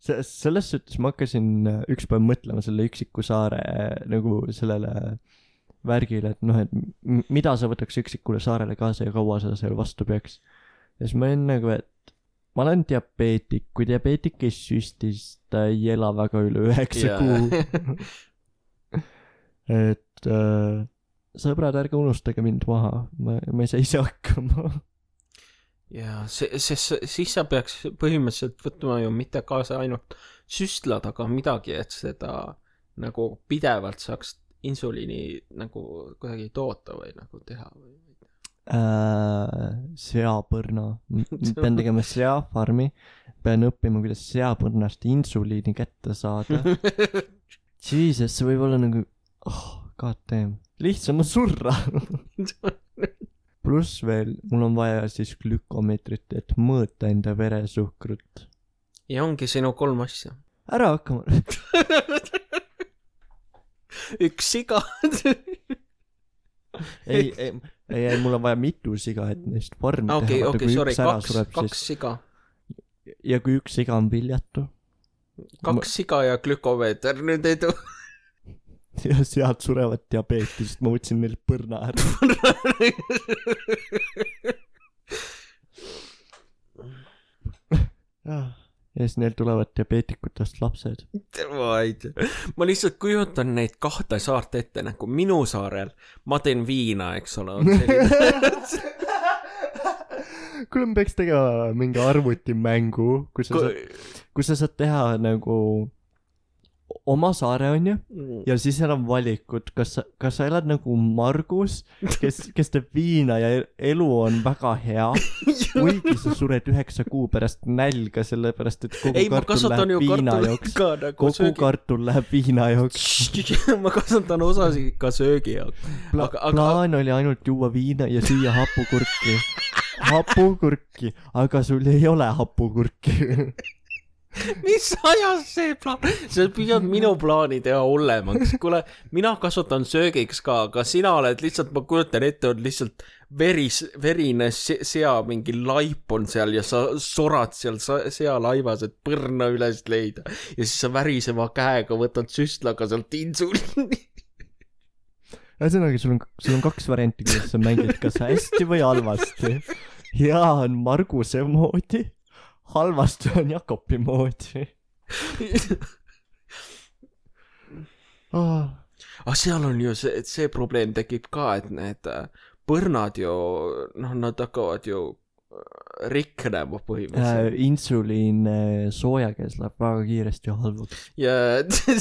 Selles suhtes ma hakkasin üks päev mõtlema selle üksiku saare nagu sellele värgile, et noh, et mida sa võtaks üksikule saarele kaasa ja kaua sa seal vastu peaks. Ja siis ma olen nagu, et ma olen diabeetik, kui diabeetik ei süstis, ta ei ela väga üle üheksa kuu. et äh, sõbrad, ärge unustage mind maha, ma, ma ei saa ise hakkama. ja see, see, siis sa peaks põhimõtteliselt võtma ju mitte kaasa ainult süstlad, aga midagi, et seda nagu pidevalt saaks insuliini nagu kuidagi toota või nagu teha või äh, seapõrna. Pean tegema seafarmi, pean õppima, kuidas seapõrnast insuliini kätte saada. Jesus, see võib olla nagu oh, god damn, lihtsam on surra. Pluss veel, mul on vaja siis glükomeetrit, et mõõta enda veresuhkrut. Ja ongi sinu kolm asja. Ära hakkama. Üks siga. ei, ei, ei, mul on vaja mitu siga, et neist farmi okay, teha. Okei, okei, sorry, kaks, sureb, kaks siis... siga. Ja kui üks siga on viljatu. Kaks ma... siga ja glükomeeter, nüüd ei tule. Ja sealt surevad diabeetist, ma võtsin neil põrna ära. ja siis neil tulevad diabeetikutest lapsed. Ma lihtsalt kujutan neid kahte saart ette, nagu minu saarel ma teen viina, eks ole. Kuule, me peaks tegema mingi arvutimängu, kus sa, Kui... saad, kus sa saad teha nagu oma saare, on ju, ja siis seal on valikud, kas sa, kas sa elad nagu Margus, kes, kes teeb viina ja elu on väga hea, kuigi sa sured üheksa kuu pärast nälga, sellepärast, et kogu ei, kartul läheb viina jooks. Nagu kogu söögi... kartul läheb viina jooks. ma kasvatan osasi ka söögi jooks. Pla- aga, aga... Plaan oli ainult juua viina ja süüa hapukurki. Hapukurki, aga sul ei ole hapukurki. mis ajas see plaan, sa püüad minu plaani teha hullemaks, kuule, mina kasutan söögiks ka, aga sina oled lihtsalt, ma kujutan ette, on lihtsalt veris, verine sea, mingi laip on seal ja sa sorad seal sea laivas, et põrna üles leida ja siis sa väriseva käega võtad süstlaga sealt insuliini. Ühesõnaga, sul on, sul on kaks varianti, kuidas sa mängid, kas hästi või halvasti. Hea on Marguse moodi, halvasti on Jakobi moodi. oh. Ah, seal on ju see, et see probleem tekib ka, et need põrnad ju, noh, nad hakkavad ju riknema põhimõtteliselt. Äh, insuliin soojakees läheb väga kiiresti halvuks. Ja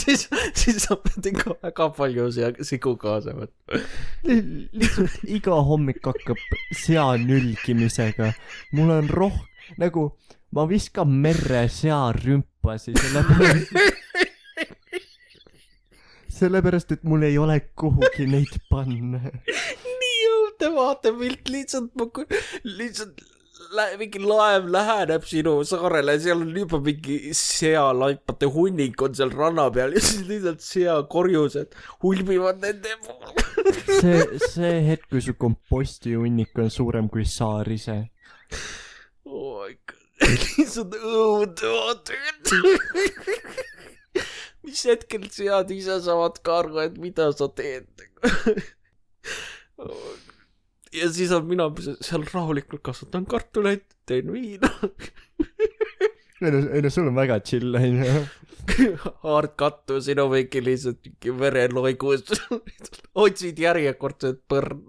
siis, siis sa pead ikka väga palju sigu kaasa võtta. Lihtsalt iga hommik hakkab sea nülgimisega. Mul on roh... Nagu ma viskan merre sea rümpasi sellepärast... sellepärast, et mul ei ole kuhugi neid panna. Nii jõude vaatepilt, lihtsalt ma lihtsalt lä- mingi laev läheneb sinu saarele, seal on juba mingi sealaipade hunnik on seal ranna peal ja siis lihtsalt seakorjused hulbivad nende poole. see, see hetk, kui su komposti hunnik on suurem kui saar ise. Oh my god, lihtsalt õudne vaatepilt. Mis hetkel sead ise saavad ka aru, et mida sa teed. Ja siis on mina seal rahulikult kasvatan kartuleid, teen viina. ei no, ei no sul on väga chill, on ju. Haard kattu, sinu mingi lihtsalt vereloigus. Otsid järjekordset põrn.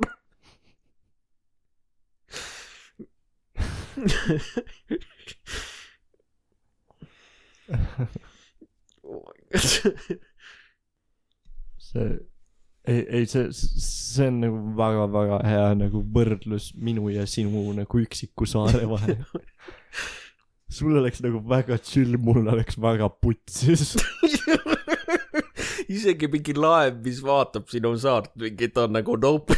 see ei, ei see, see on nagu väga-väga hea nagu võrdlus minu ja sinu nagu üksiku saare vahel. Sul oleks nagu väga chill, mul oleks väga putsis. Isegi mingi laev, mis vaatab sinu saart, mingi ta on nagu nope.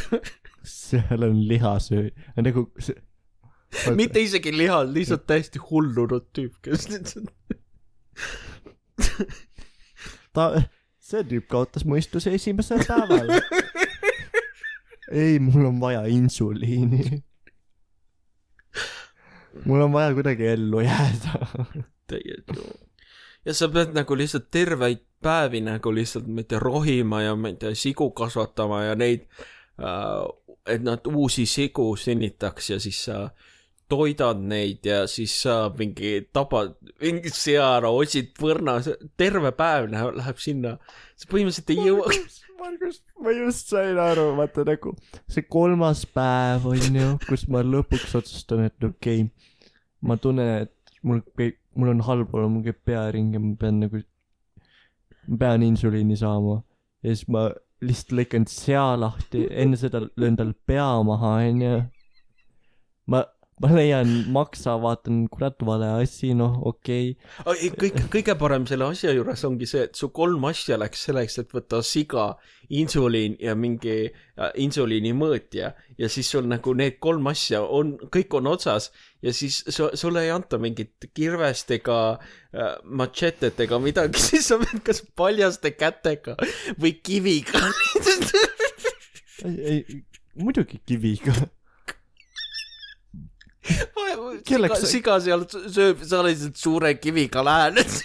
Seal on lihasöö nagu see... mitte isegi lihas, lihtsalt täiesti hullunud tüüp, kes ta, see tüüp kaotas mõistuse esimesel päeval. Ei, mul on vaja insuliini. Mul on vaja kuidagi ellu jääda. Tegelikult. Ja sa pead nagu lihtsalt terveid päevi nagu lihtsalt mitte rohima ja mitte sigu kasvatama ja neid, et nad uusi sigu sünnitaks ja siis sa toidad neid ja siis sa mingi tabad, mingi seara, otsid põrna, terve päev läheb, läheb sinna. See põhimõtteliselt ei jõua. Margus, Margus, ma just sain aru, vaata nagu see kolmas päev on ju, kus ma lõpuks otsustan, et okei, okay, ma tunnen, et mul, mul on halb olla, mul käib pearing ja ma pean nagu, ma pean insuliini saama ja siis ma lihtsalt lõikan sea lahti, enne seda löön tal pea maha, on ju. Ma ma leian maksa, vaatan kurat vale asi, noh, okei okay.. Kõik, kõige parem selle asja juures ongi see, et su kolm asja läks selleks, et võtta siga, insuliin ja mingi äh, insuliini mõõtja ja siis sul nagu need kolm asja on, kõik on otsas ja siis su, sulle ei anta mingit kirvest ega äh, machetet ega midagi, siis sa pead kas paljaste kätega või kiviga. ei, ei, muidugi kiviga. Siga, siga seal sööb, sa lihtsalt suure kiviga lähened.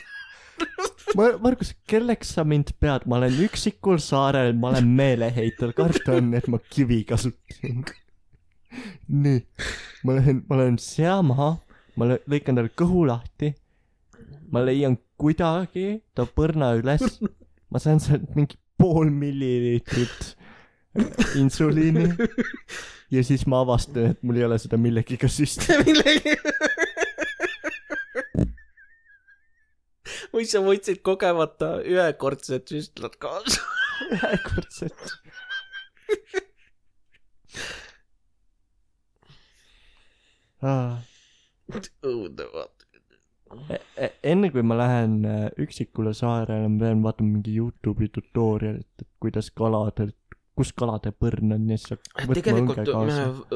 Margus, kelleks sa mind pead? Ma olen üksikul saarel, ma olen meeleheitel, karta on, et ma kivi kasutan. Nii, ma lähen, ma lähen sea maha, ma lõikan tal kõhu lahti, ma leian kuidagi ta põrna üles, ma saan sealt mingi pool milliliitrit insuliini ja siis ma avastan, et mul ei ole seda millegiga süsti. Millegi... või sa võtsid kogemata ühekordset süstlad kaasa. Ühekordset. õudne vaata. Enne kui ma lähen üksikule saarele, ma pean vaatama mingi YouTube'i tutorialit, et kuidas kaladel, kus kalade põrn on. Tegelikult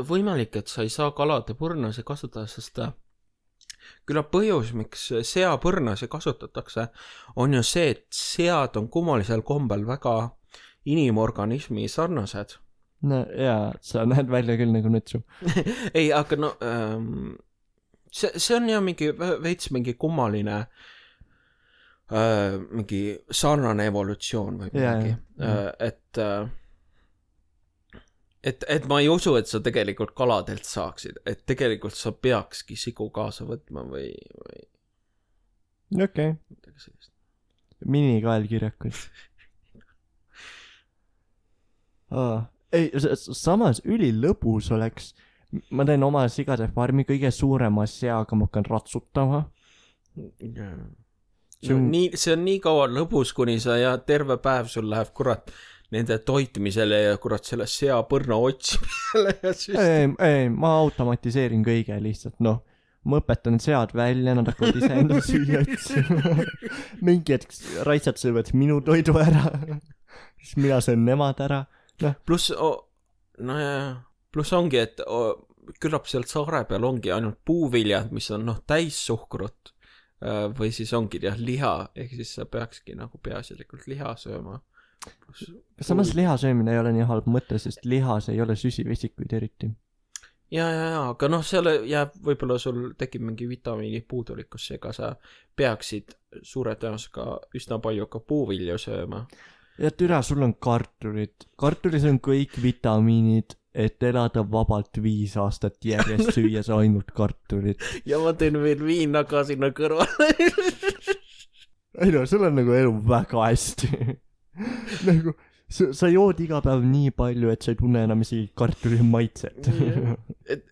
võimalik, et sa ei saa kalade põrna kasutada, sest küllap põhjus, miks seapõrnasi kasutatakse, on ju see, et sead on kummalisel kombel väga inimorganismi sarnased. no jaa, sa näed välja küll nagu nutsu. ei, aga no ähm, see, see on ju mingi veits mingi kummaline äh, mingi sarnane evolutsioon või midagi. Äh, et äh, et, et ma ei usu, et sa tegelikult kaladelt saaksid, et tegelikult sa peakski sigu kaasa võtma või, või... okei okay. Minikaelkirjakud. Aa, ei, samas ülilõbus oleks, ma teen oma sigade farmi kõige suurema seaga, ma hakkan ratsutama. Yeah. See on, nii, see on nii kaua lõbus, kuni sa ja terve päev sul läheb kurat nende toitmisele ja kurat selle seapõrna otsimisele. ei, ei, ma automatiseerin kõige lihtsalt, noh. Ma õpetan sead välja, nad hakkavad ise enda süüa otsima. Mingi hetk raitsad söövad minu toidu ära. Siis mina söön nemad ära. No. Plus, oh, no ja, plus ongi, et oh, küllap sealt saare peal ongi ainult puuviljad, mis on noh täis suhkrut või siis ongi jah liha, ehk siis sa peakski nagu peaasjalikult liha sööma. Plus, samas puuv... liha söömine ei ole nii halb mõte, sest lihas ei ole süsivesikuid eriti. Ja, ja, ja, aga noh, seal jääb, võib-olla sul tekib mingi vitamiini puudulikkus, ega sa peaksid suure tõenäosusega üsna palju ka puuvilju sööma. Ja türa, sul on kartulit. Kartulis on kõik vitamiinid, et elada vabalt viis aastat järjest süües ainult kartulit. Ja ma teen veel viina ka sinna kõrvale. ei no, sul on nagu elu väga hästi. nagu, sa, sa jood iga päev nii palju, et sa ei tunne enam isegi kartuli maitset. et,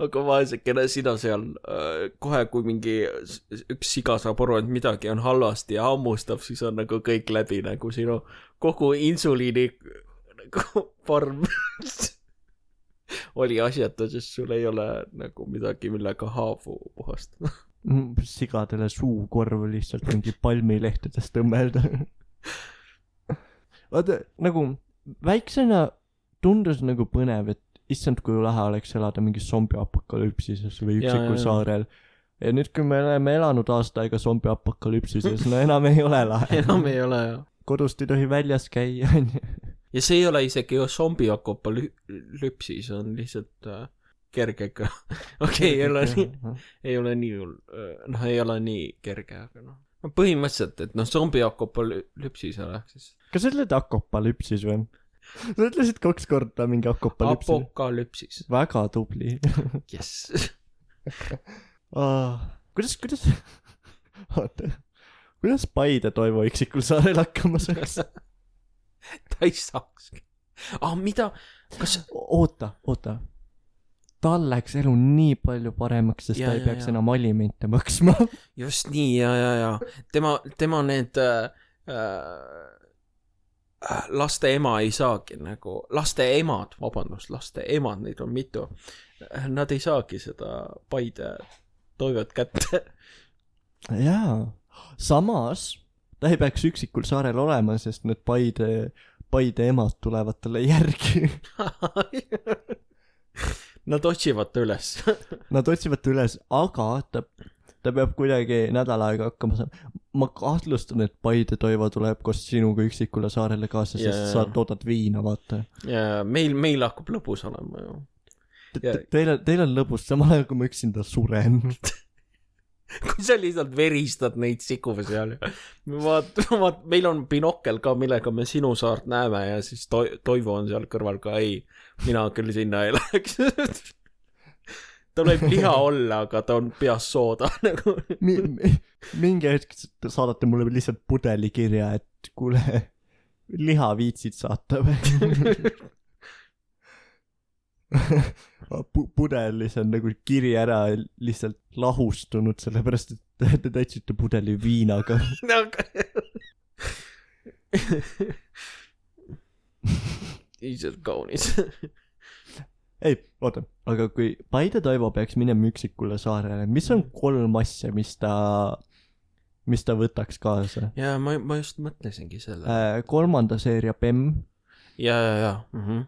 aga vaesekene sina seal äh, kohe, kui mingi üks siga saab aru, et midagi on halvasti ja hammustab, siis on nagu kõik läbi, nagu sinu kogu insuliini nagu farm oli asjata, sest sul ei ole nagu midagi, millega haavu puhastada. Sigadele suukorv lihtsalt mingi palmilehtedest tõmmelda. Vaata, nagu väiksena tundus nagu põnev, et issand, kui lahe oleks elada mingi zombiapokalüpsises või üksikul saarel. Ja nüüd, kui me oleme elanud aasta aega zombiapokalüpsises, no enam ei ole lahe. enam ei ole, jah. Kodust ei tohi väljas käia. ja see ei ole isegi zombiapokalüpsis, on lihtsalt äh, kergega. okei, ei ole nii, ei ole nii, noh, ei ole nii kerge, aga noh. Põhimõtteliselt, et noh, zombiapokalüpsis oleks siis. Kas sa ütled apokalüpsis või? Sa ütlesid kaks korda mingi apokalüpsis. Apokalüpsis. Väga tubli. Yes. oh, kuidas, kuidas, oota, kuidas Paide Toivo üksikul saarel hakkama saaks? Ta ei saakski. Ah, mida? Kas... Oota, oota. Tal läks elu nii palju paremaks, sest ja, ta ei ja, peaks ja. enam alimente maksma. Just nii, ja, ja, ja. Tema, tema need... Äh, laste ema ei saagi nagu, laste emad, vabandust, laste emad, neid on mitu, nad ei saagi seda Paide Toivet kätte. jaa, samas ta ei peaks üksikul saarel olema, sest need Paide, Paide emad tulevad talle järgi. Nad otsivad ta üles. Nad otsivad ta üles, aga ta ta peab kuidagi nädal aega hakkama saama. Ma kahtlustan, et Paide Toivo tuleb koos sinuga üksikule saarele kaasa, sest yeah. sa toodad viina, vaata. Ja meil, meil hakkab lõbus olema ju. Ja... Teil, teil on lõbus, samal ajal kui ma üksinda suren. kui sa lihtsalt veristad neid siku seal. Vaat, vaat, meil on binokkel ka, millega me sinu saart näeme ja siis to- Toivo on seal kõrval ka, ei, mina küll sinna ei läheks. Ta võib liha olla, aga ta on peas sooda. mi, mi, mingi hetk saadate mulle lihtsalt pudeli kirja, et kuule, liha viitsid saata või? Pudelis on nagu kiri ära lihtsalt lahustunud, sellepärast, et te täitsite pudeli viinaga. Iisad kaunis. Ei, oota, aga kui Paide Toivo peaks minema üksikule saarele, mis on kolm asja, mis ta, mis ta võtaks kaasa? Ja ma, ma just mõtlesingi selle. Äh, kolmanda seeria P E M. Ja, ja, ja. Mm-hmm.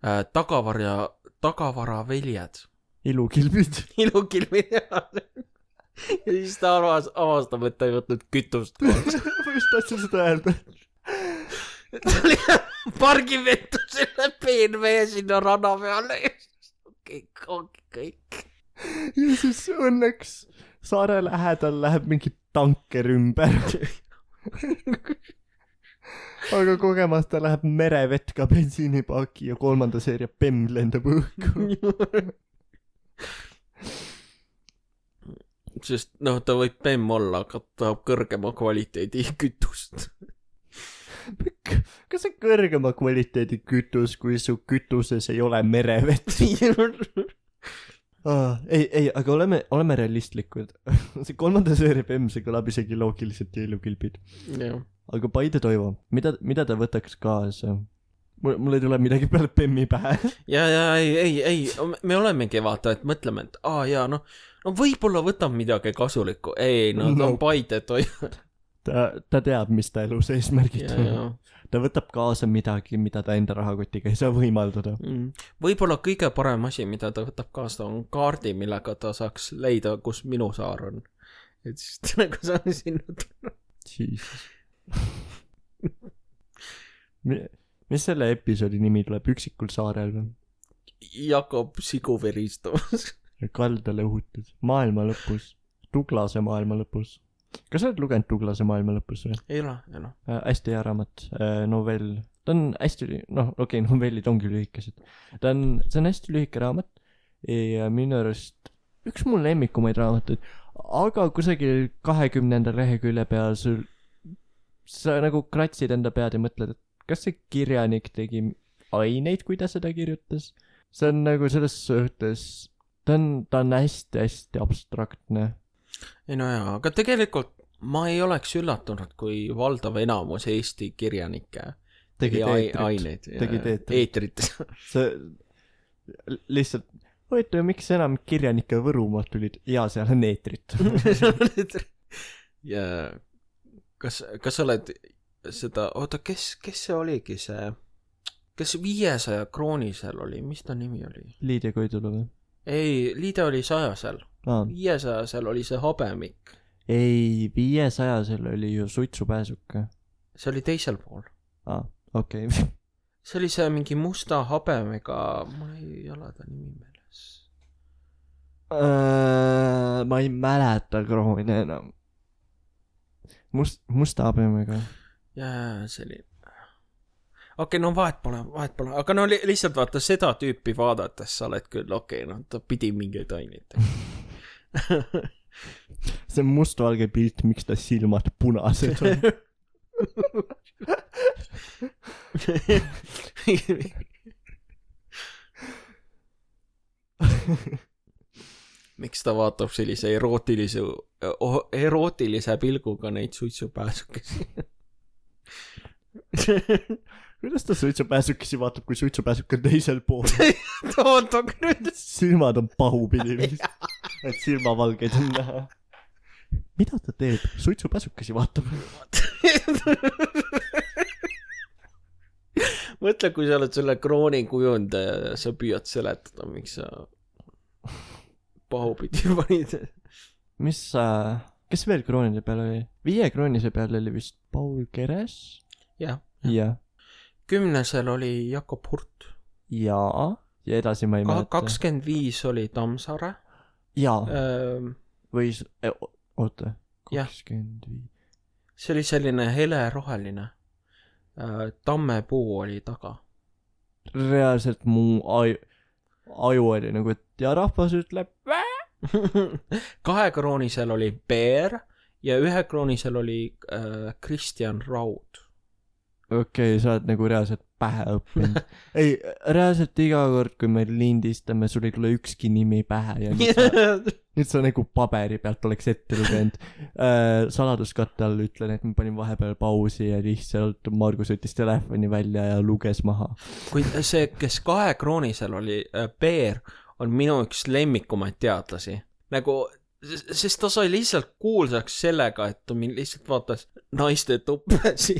Äh, tagavarja, tagavara veljed. ilukilbid. ilukilbid ja siis ta avas, avastab, et ta ei võtnud kütust koos. Ma just tahtsin seda öelda. ta oli pargivettu selle peenvee sinna rada peale. kõik, ongi kõik. Ja siis õnneks saare lähedal läheb mingi tanker ümber. Aga kogemast ta läheb merevett ka bensiinipaaki ja kolmanda seeria Bemm lendab õhku. Sest noh, ta võib Bemm olla, aga ta tahab kõrgema kvaliteedi kütust. Kas see kõrgema kvaliteedi kütus, kui su kütuses ei ole merevett? ah, ei, ei, aga oleme, oleme realistlikud. See kolmanda seeria Bemm, see kõlab isegi loogiliselt ja ilukilbid. Jah. Aga Paide Toivo, mida, mida ta võtaks kaasa? Mul, mul ei tule midagi peale Bemmi pähe. ja, ja, ei, ei, ei, me olemegi vaata, et mõtleme, et aa, jaa, noh, no võib-olla võtab midagi kasulikku. Ei, no ta on no. Paide Toivo. ta, ta teab, mis ta elus eesmärgid on. Ta võtab kaasa midagi, mida ta enda rahakotiga ei saa võimaldada. Mm. Võib-olla kõige parem asi, mida ta võtab kaasa, on kaardi, millega ta saaks leida, kus minu saar on. Et siis ta nagu saan sinna tulla. Jesus. Mis selle episoodi nimi tuleb? Üksikul saarel või? Jakob Siguveristamas. Kaldale õhutud. Maailma lõpus. Tuglase maailma lõpus. Kas sa oled lugenud Tuglase maailma lõpus või? Ei ole, ei ole. Äh, hästi hea raamat, äh, novell. Ta on hästi, noh, okei, okay, novellid ongi lühikesed. Ta on, see on hästi lühike raamat. Ja minu arust üks mul lemmikumaid raamatuid. Aga kusagil kahekümnenda lehekülje peal sul sa nagu kratsid enda pead ja mõtled, et kas see kirjanik tegi aineid, kui ta seda kirjutas? See on nagu selles suhtes, ta on, ta on hästi-hästi abstraktne. Ei no jaa, aga tegelikult ma ei oleks üllatunud, kui valdav enamus Eesti kirjanikke tegi ai- aineid. Tegi eetrit. See lihtsalt, huvitav, miks enam kirjanikke Võrumaalt tulid? Jaa, seal on eetrit. ja kas, kas sa oled seda, oota, kes, kes see oligi see, kes viiesaja kroonisel oli, mis ta nimi oli? Liidia Koidula või? Ei, Liidia oli sajasel. Ah. viiesajasel oli see Habemik. Ei, viiesajasel oli ju Suitsupääsuke. See oli teisel pool. Aa, okei. Okay. see oli see mingi musta habemega, mul ei ole ta nimi meeles. Uh, ma ei mäleta krooni enam. Must, musta habemega. Jaa, see oli... Okei, okay, no vahet pole, vahet pole. Aga no li- lihtsalt vaata seda tüüpi vaadates sa oled küll, okei, okay, no ta pidi mingeid aineid. see on mustvalge pilt, miks ta silmad punased on. miks ta vaatab sellise erootilise, erootilise pilguga neid suitsupääsukesi? Kuidas ta suitsupääsukesi vaatab, kui suitsupääsuk on teisel pool? Oota, nüüd. Silmad on pahupidi vist. Et silmavalgeid on näha. Mida ta teeb? Suitsupääsukesi vaatab. Mõtle, kui sa oled selle krooni kujundaja ja sa püüad seletada, miks sa pahupidi panid. Mis sa... Kes veel kroonide peal oli? Viie kroonise peal oli vist Paul Keres? Jah. Ja. Kümnesel oli Jakob Hurt. Jaa. Ja edasi ma ei Ka- mäleta. kakskümmend viis oli Tammsaare. Jaa. Ähm, Või... E, oota. kakskümmend viis. See oli selline hele roheline. Äh, tammepuu oli taga. Reaalselt mu aju, aju oli nagu, et ja rahvas ütleb kahe kroonisel oli Peer ja ühe kroonisel oli äh, Kristjan Raud. Okei, okay, sa oled nagu reaalselt pähe õppinud. Ei, reaalselt iga kord, kui me lindistame, sul ei tule ükski nimi pähe ja nüüd sa, nüüd sa nagu paberi pealt oleks ette lugenud. Äh, saladuskatte all ütlen, et ma panin vahepeal pausi ja lihtsalt Margus võttis telefoni välja ja luges maha. Kui see, kes kahe kroonisel oli äh, Peer, on minu üks lemmikumaid teadlasi. Nagu, sest ta sai lihtsalt kuulsaks sellega, et ta lihtsalt vaatas naiste tuppesi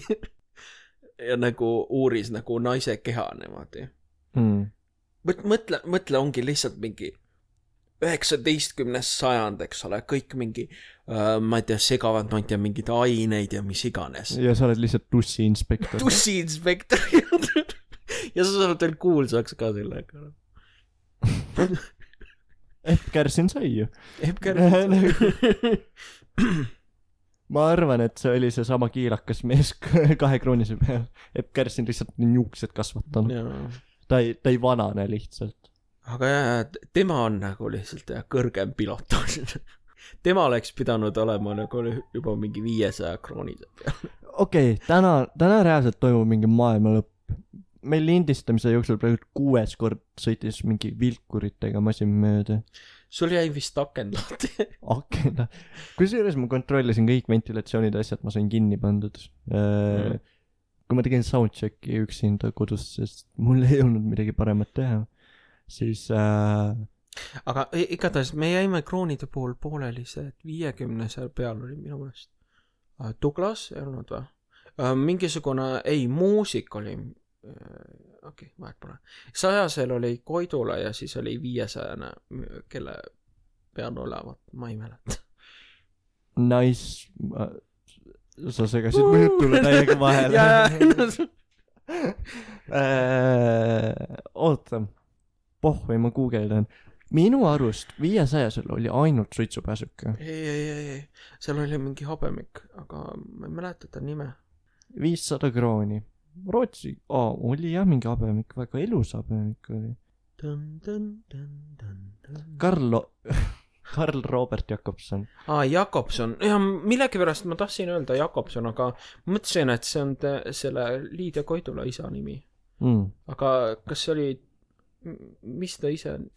ja nagu uuris nagu naise keha niimoodi. Mm. Mõtle, mõtle ongi lihtsalt mingi üheksateistkümnes sajand, eks ole, kõik mingi uh, ma ei tea, segavad, ma ei tea, mingid aineid ja mis iganes. Ja sa oled lihtsalt tussi inspektor. Tussi inspektor. Ja sa saad veel kuulsaks ka sellega. Epp Kärsin sai ju. Epp Kärsin sai. Ma arvan, et see oli see sama kiirakas mees kahe kroonise peal. Epp Kärsin lihtsalt niuksed kasvatanud. Ta ei, ta ei vanane lihtsalt. Aga jah, tema on nagu lihtsalt jah, kõrgem pilotaaž. Tema oleks pidanud olema nagu juba mingi viiesaja kroonide peal. Okei, okay, täna, täna reaalselt toimub mingi maailma lõpp. Meil lindistamise jooksul praegu kuues kord sõitis mingi vilkuritega masin mööda. Sul jäi vist aken lahti. Aken lahti. Kusjuures ma kontrollisin kõik ventilatsioonid asjad, ma sain kinni pandud. Mm. Kui ma tegin soundchecki üksinda kodus, sest mul ei olnud midagi paremat teha, siis äh... aga igatahes me jäime kroonide pool pooleli see, et viiekümne seal peal oli minu mõnest uh, Douglas ei olnud või? Uh, mingisugune, ei, muusik oli uh, okei, okay, vahet pole sajasel oli Koidula ja siis oli viiesajane, kelle peal olevat, ma ei mäleta. Nice. Sa segasid mu jutule täiega vahele. Oota, pohvi ma guugeldan. Minu arust viiesajasel oli ainult suitsupääsuke. Ei, ei, ei, ei. Seal oli mingi habemik, aga ma ei mäleta ta nime. viissada krooni. Rootsi, oh, oli jah mingi habemik, väga elus habemik oli. Dun, dun, dun, dun, dun. Karl... Karl Robert Jakobson. Aa, Jakobson. Ja millegi pärast ma tahtsin öelda Jakobson, aga mõtlesin, et see on te, selle Liidia Koidula isa nimi. Mm. Aga kas see oli, mis ta ise on?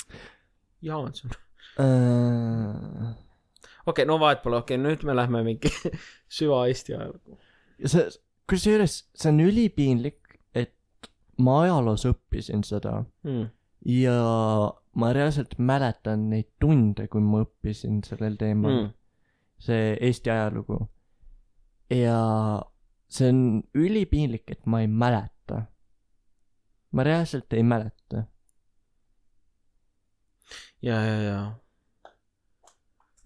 Jaanson. Uh... Okei, okay, no vahet pole, okei, okay, nüüd me lähme mingi süva Eesti ajalugu. See, kusjuures see on ülipiinlik, et ma ajaloos õppisin seda. Mm. Ja ma reaalselt mäletan neid tunde, kui ma õppisin sellel teemal. Mm. See Eesti ajalugu. Ja see on ülipiinlik, et ma ei mäleta. Ma reaalselt ei mäleta. Ja, ja, ja.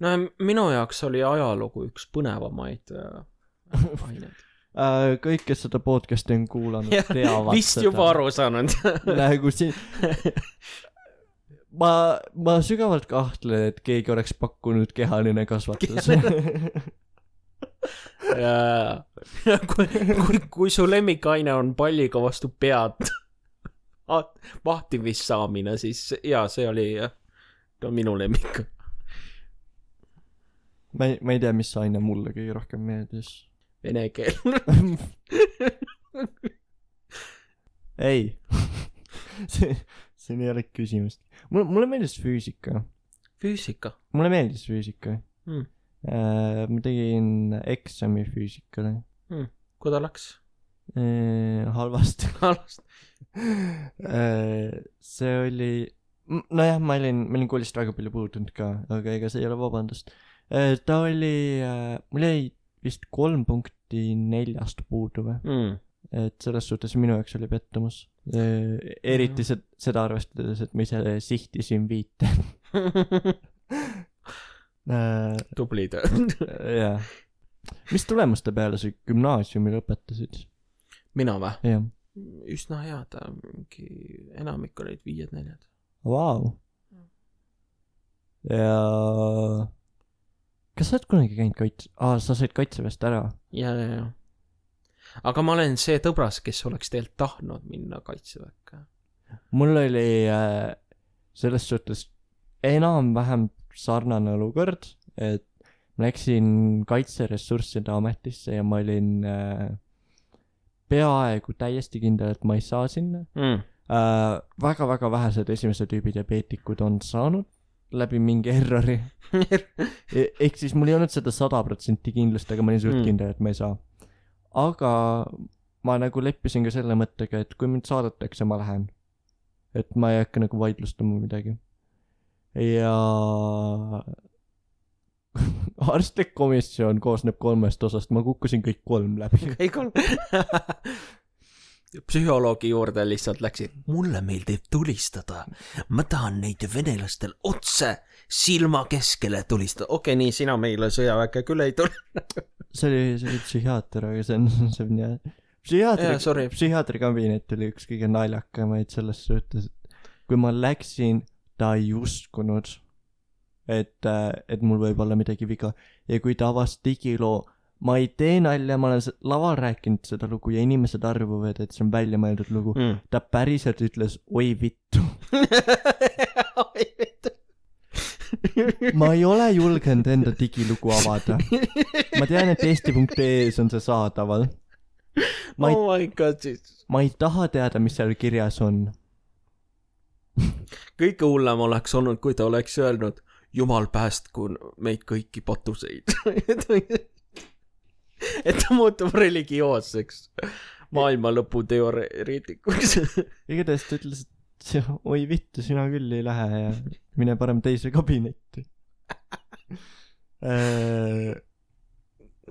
No minu jaoks oli ajalugu üks põnevamaid aineid. Kõik, kes seda podcasti on kuulanud, teavad vist seda. Juba aru saanud. Nagu siin... Ma, ma sügavalt kahtlen, et keegi oleks pakkunud kehaline kasvatus. Ja kui, kui, kui su lemmikaine on palliga vastu pead vahtimist saamine, siis jaa, see oli no, minu lemmik. Ma ei, ma ei tea, mis aine mulle kõige rohkem meeldis. Vene keel. Ei. see, see ei ole küsimust. Mulle, mulle meeldis füüsika. Füüsika? Mulle meeldis füüsika. Mm. Äh, ma tegin eksami füüsikale. Mm. Kui ta läks? Äh, halvasti. Halvasti. äh, see oli... Nojah, ma olin, ma olin koolist väga palju puudunud ka, aga ega see ei ole vabandust. Äh, ta oli... Äh, mul jäi vist kolm punkti neljast puudu või? Mm. Et selles suhtes minu jaoks oli pettumus. Eriti mm. seda arvestades, et ma ise sihtisin viite. Tubli töö. Jah. Mis tulemuste peale sa gümnaasiumi lõpetasid? Mina või? Jah. Üsna head. Mingi enamik olid viied neljad. Vau. Ja... Kas sa oled kunagi käinud kaitse... Aa, sa said kaitseväest ära? Ja, ja, ja. Aga ma olen see tõbras, kes oleks teilt tahtnud minna kaitseväkke. Mul oli äh, selles suhtes enam-vähem sarnane olukord, et ma läksin kaitseressursside ametisse ja ma olin äh, peaaegu täiesti kindel, et ma ei saa sinna. Mm. Äh, väga-väga vähesed esimese tüübi diabeetikud on saanud läbi mingi errori. e- ehk siis mul ei olnud seda sada protsenti kindlust, aga ma olin suht mm. kindel, et ma ei saa. Aga ma nagu leppisin ka selle mõttega, et kui mind saadetakse, ma lähen. Et ma ei hakka nagu vaidlustama midagi. Ja arstlik komisjon koosneb kolmest osast. Ma kukkusin kõik kolm läbi. Kõik kolm. Psühholoogi juurde lihtsalt läksid. Mulle meeldib tulistada. Ma tahan neid venelastel otse silma keskele tulistada. Okei, okay, nii, sina meile sõjaväkke küll ei tule. see oli, see oli psühhiaater, aga see on, see on jah. Psühhiaatri, psühhiaatri kabinet oli üks kõige naljakamaid selles suhtes, et kui ma läksin, ta ei uskunud, et, et mul võib olla midagi viga. Ja kui ta avas digiloo, ma ei tee nalja, ma olen laval rääkinud seda lugu ja inimesed arvuvad, et see on välja mõeldud lugu. Mm. Ta päriselt ütles, oi vittu. Oi vittu. Ma ei ole julgenud enda digilugu avada. Ma tean, et eesti punkt ee-s on see saadaval. Ma ei, oh my god, ma ei taha teada, mis seal kirjas on. Kõige hullem oleks olnud, kui ta oleks öelnud, jumal päästku meid kõiki patuseid. Et ta muutub religioosseks maailma lõpu teoreetikuks. Igatahes ta ütles, et oi vittu, sina küll ei lähe ja mine parem teise kabinetti.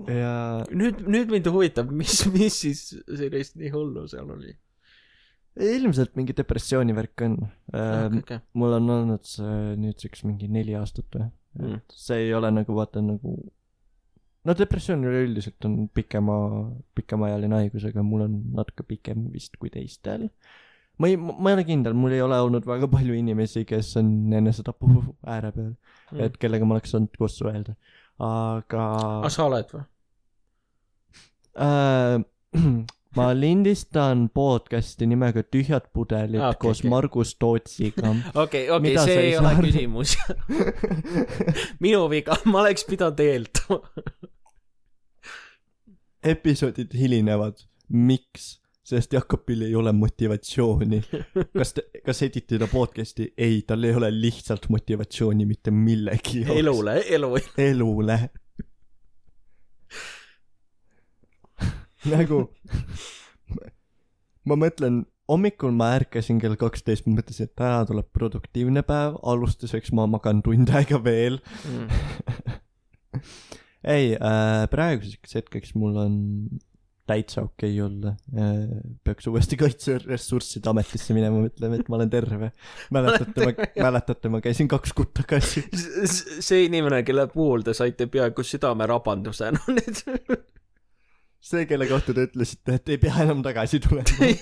Ja nüüd, nüüd mind huvitab, mis, mis siis sellist nii hullu seal oli? Ilmselt mingi depressiooni värk on. Okay, okay. Mul on olnud see nüüdseks mingi neli aastat või. Mm. See ei ole nagu, vaata nagu, no depressioon üle üldiselt on pikema, pikemaajaline haigus, aga mul on natuke pikem vist kui teistel. Ma ei, ma ei ole kindel, mul ei ole olnud väga palju inimesi, kes on enesetapu ääre peal, mm. et kellega ma oleks saanud koos suhelda. Aga A sa oled või? Äh, ma lindistan podcasti nimega Tühjad pudelid okay, koos okay. Margus Tootsiga. Okei, okei, see ei ole saanud? Küsimus. Minu viga, ma oleks pidanud eeldama. Episoodid hilinevad. Miks? Sest Jakobil ei ole motivatsiooni. Kas, te, kas editida podcasti? Ei, tal ei ole lihtsalt motivatsiooni mitte millegi. Elule, elu. Elule. Nagu, ma mõtlen, hommikul ma ärkasin kell kaksteist, ma mõtlesin, et täna tuleb produktiivne päev, alustuseks ma magan tund aega veel. Mm. Ei, äh, praeguseks hetkeks mul on täitsa okei okay olla. Peaks uuesti kaitseressursside ametisse minema, mõtleme, et ma olen terve. Mäletate, ma, mäletate, ma käisin kaks kuud tagasi. See inimene, kelle puhul te saite peaaegu südame rabanduse. No, need... See, kelle kohta te ütlesite, et ei pea enam tagasi tulema.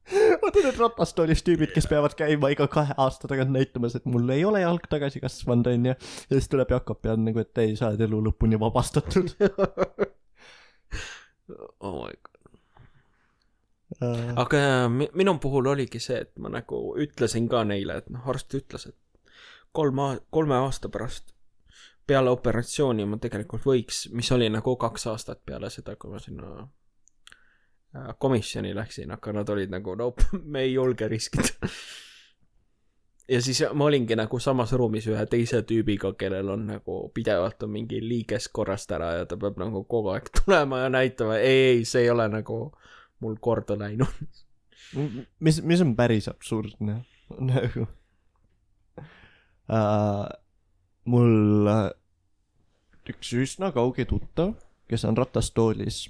Vaata need ratastoolis tüübid, kes peavad käima iga kahe aasta tagant näitamas, et mul ei ole jalg tagasi kasvanud, on ja ja siis tuleb Jakob ja on nagu, et ei, sa oled elu lõpuni vabastatud. Oh my god. Uh... Aga minu puhul oligi see, et ma nagu ütlesin ka neile, et noh, arst ütles, et kolme, kolme aasta pärast peale operatsiooni ma tegelikult võiks, mis oli nagu kaks aastat peale seda, kui ma sinna komisjoni läksin, aga nad olid nagu, no me ei julge riskida. Ja siis ma olingi nagu samas ruumis ühe teise tüübiga, kellel on nagu pidevalt on mingi liiges korrast ära ja ta peab nagu kogu aeg tulema ja näitama, ei, ei, see ei ole nagu mul korda läinud. Mis, mis on päris absurdne? Nagu uh, mul uh, üks üsna kauge tuttav, kes on ratastoolis.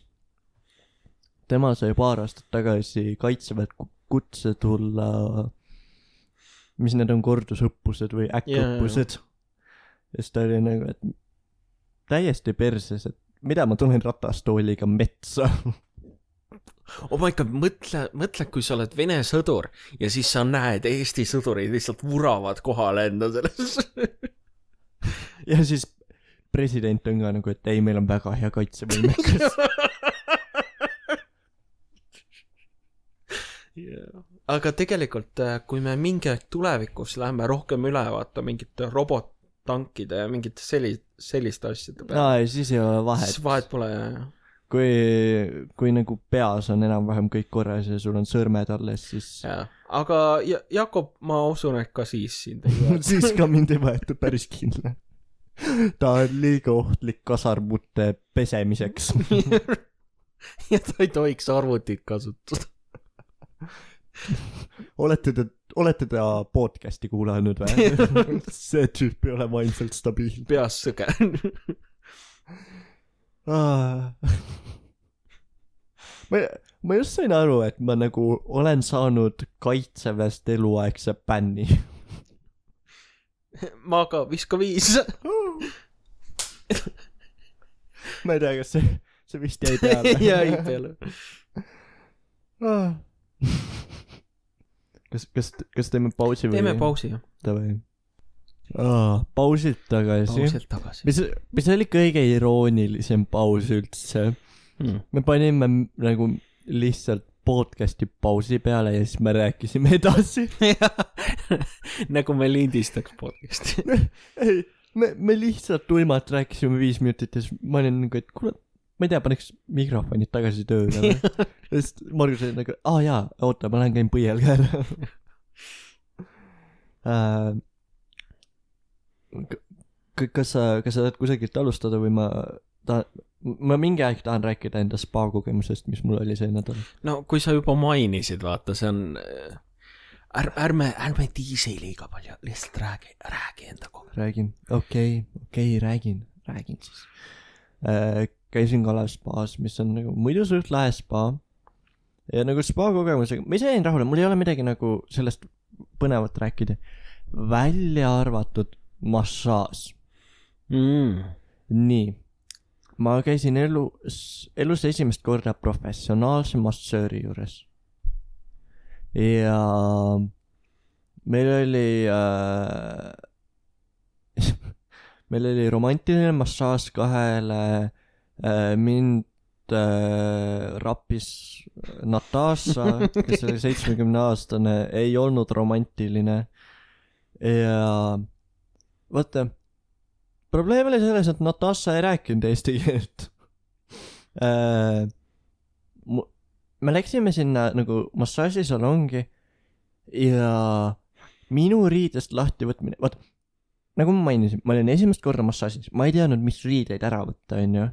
Tema sai paar aastat tagasi kaitseväed kutse tulla, mis need on kordusõppused või äkkõppused. Ja siis ta oli nagu, et täiesti perses, et mida ma tulen ratastooliga metsa. Oh my god, mõtle, mõtle, kui sa oled Vene sõdur ja siis sa näed Eesti sõdurid lihtsalt vuravad kohale enda selles. Ja siis president on ka nagu, et ei, meil on väga hea kaitsevõimekas. Yeah. Aga tegelikult, kui me mingi aeg tulevikus läheme rohkem üle vaata mingite robottankide ja mingite sellist, selliste asjade peale. No, siis ei ole vahet. Siis vahet pole, jah. Kui, kui nagu peas on enam-vähem kõik korras ja sul on sõrmed alles, siis... Ja. Aga Jakob, ma usun, et ka siis sind ei võeta. Siis ka mind ei võetud päris kindla. Ta on liiga ohtlik kasarmute pesemiseks. Ja ta ei tohiks arvutit kasutada. olete te, olete te podcasti kuulanud või? See tüüp ei ole vaimselt stabiilne. Peas sõge. ah. ma, ma just sain aru, et ma nagu olen saanud kaitseväest eluaegse bänni. ma ka viska viis. ma ei tea, kas see, see vist jäi peale. jäi peale. kas, kas, kas teeme pausi või? Teeme pausi, jah. Tavai. Oh, pausilt tagasi. Pausilt tagasi. Mis, mis oli kõige iroonilisem paus üldse? Hmm. Me panime nagu lihtsalt podcasti pausi peale ja siis me rääkisime edasi. nagu me lindistaks podcasti. ei, me, me lihtsalt tuimalt rääkisime viis minutit ja siis ma olin nagu, et kuule, ma ei tea, paneks mikrofonid tagasi tööle. ja siis Margus oli nagu, aa jaa, oota, ma lähen käin põiel ka ära. uh, kas sa, kas sa tahad kusagilt alustada või ma tahan, ma mingi aeg tahan rääkida enda spa kogemusest, mis mul oli see nädal. No kui sa juba mainisid, vaata, see on är, ärme, ärme tiisi liiga palju, lihtsalt räägi, räägi enda kogemus. Räägin, okei, okay, okei okay,, räägin, räägin siis äh, käisin Kalev spaas, mis on nagu muidu suht lahe spa ja nagu spa kogemusega, ma ise jäin rahule, mul ei ole midagi nagu sellest põnevat rääkida, välja arvatud massaaž. mm. Nii, ma käisin elus, elus esimest korda professionaalse massööri juures ja meil oli äh, meil oli romantiline massaaž kahele äh, mind äh, rappis Natasha, kes oli seitsmekümne aastane, ei olnud romantiline ja vaata, probleem oli selles, et Natasha ei rääkinud eesti keelt. äh, me läksime sinna nagu massaažisalongi ja minu riidest lahti võtmine, vaat nagu ma mainisin, ma olin esimest korda massaažis, ma ei teadnud, mis riideid ära võtta, on ju.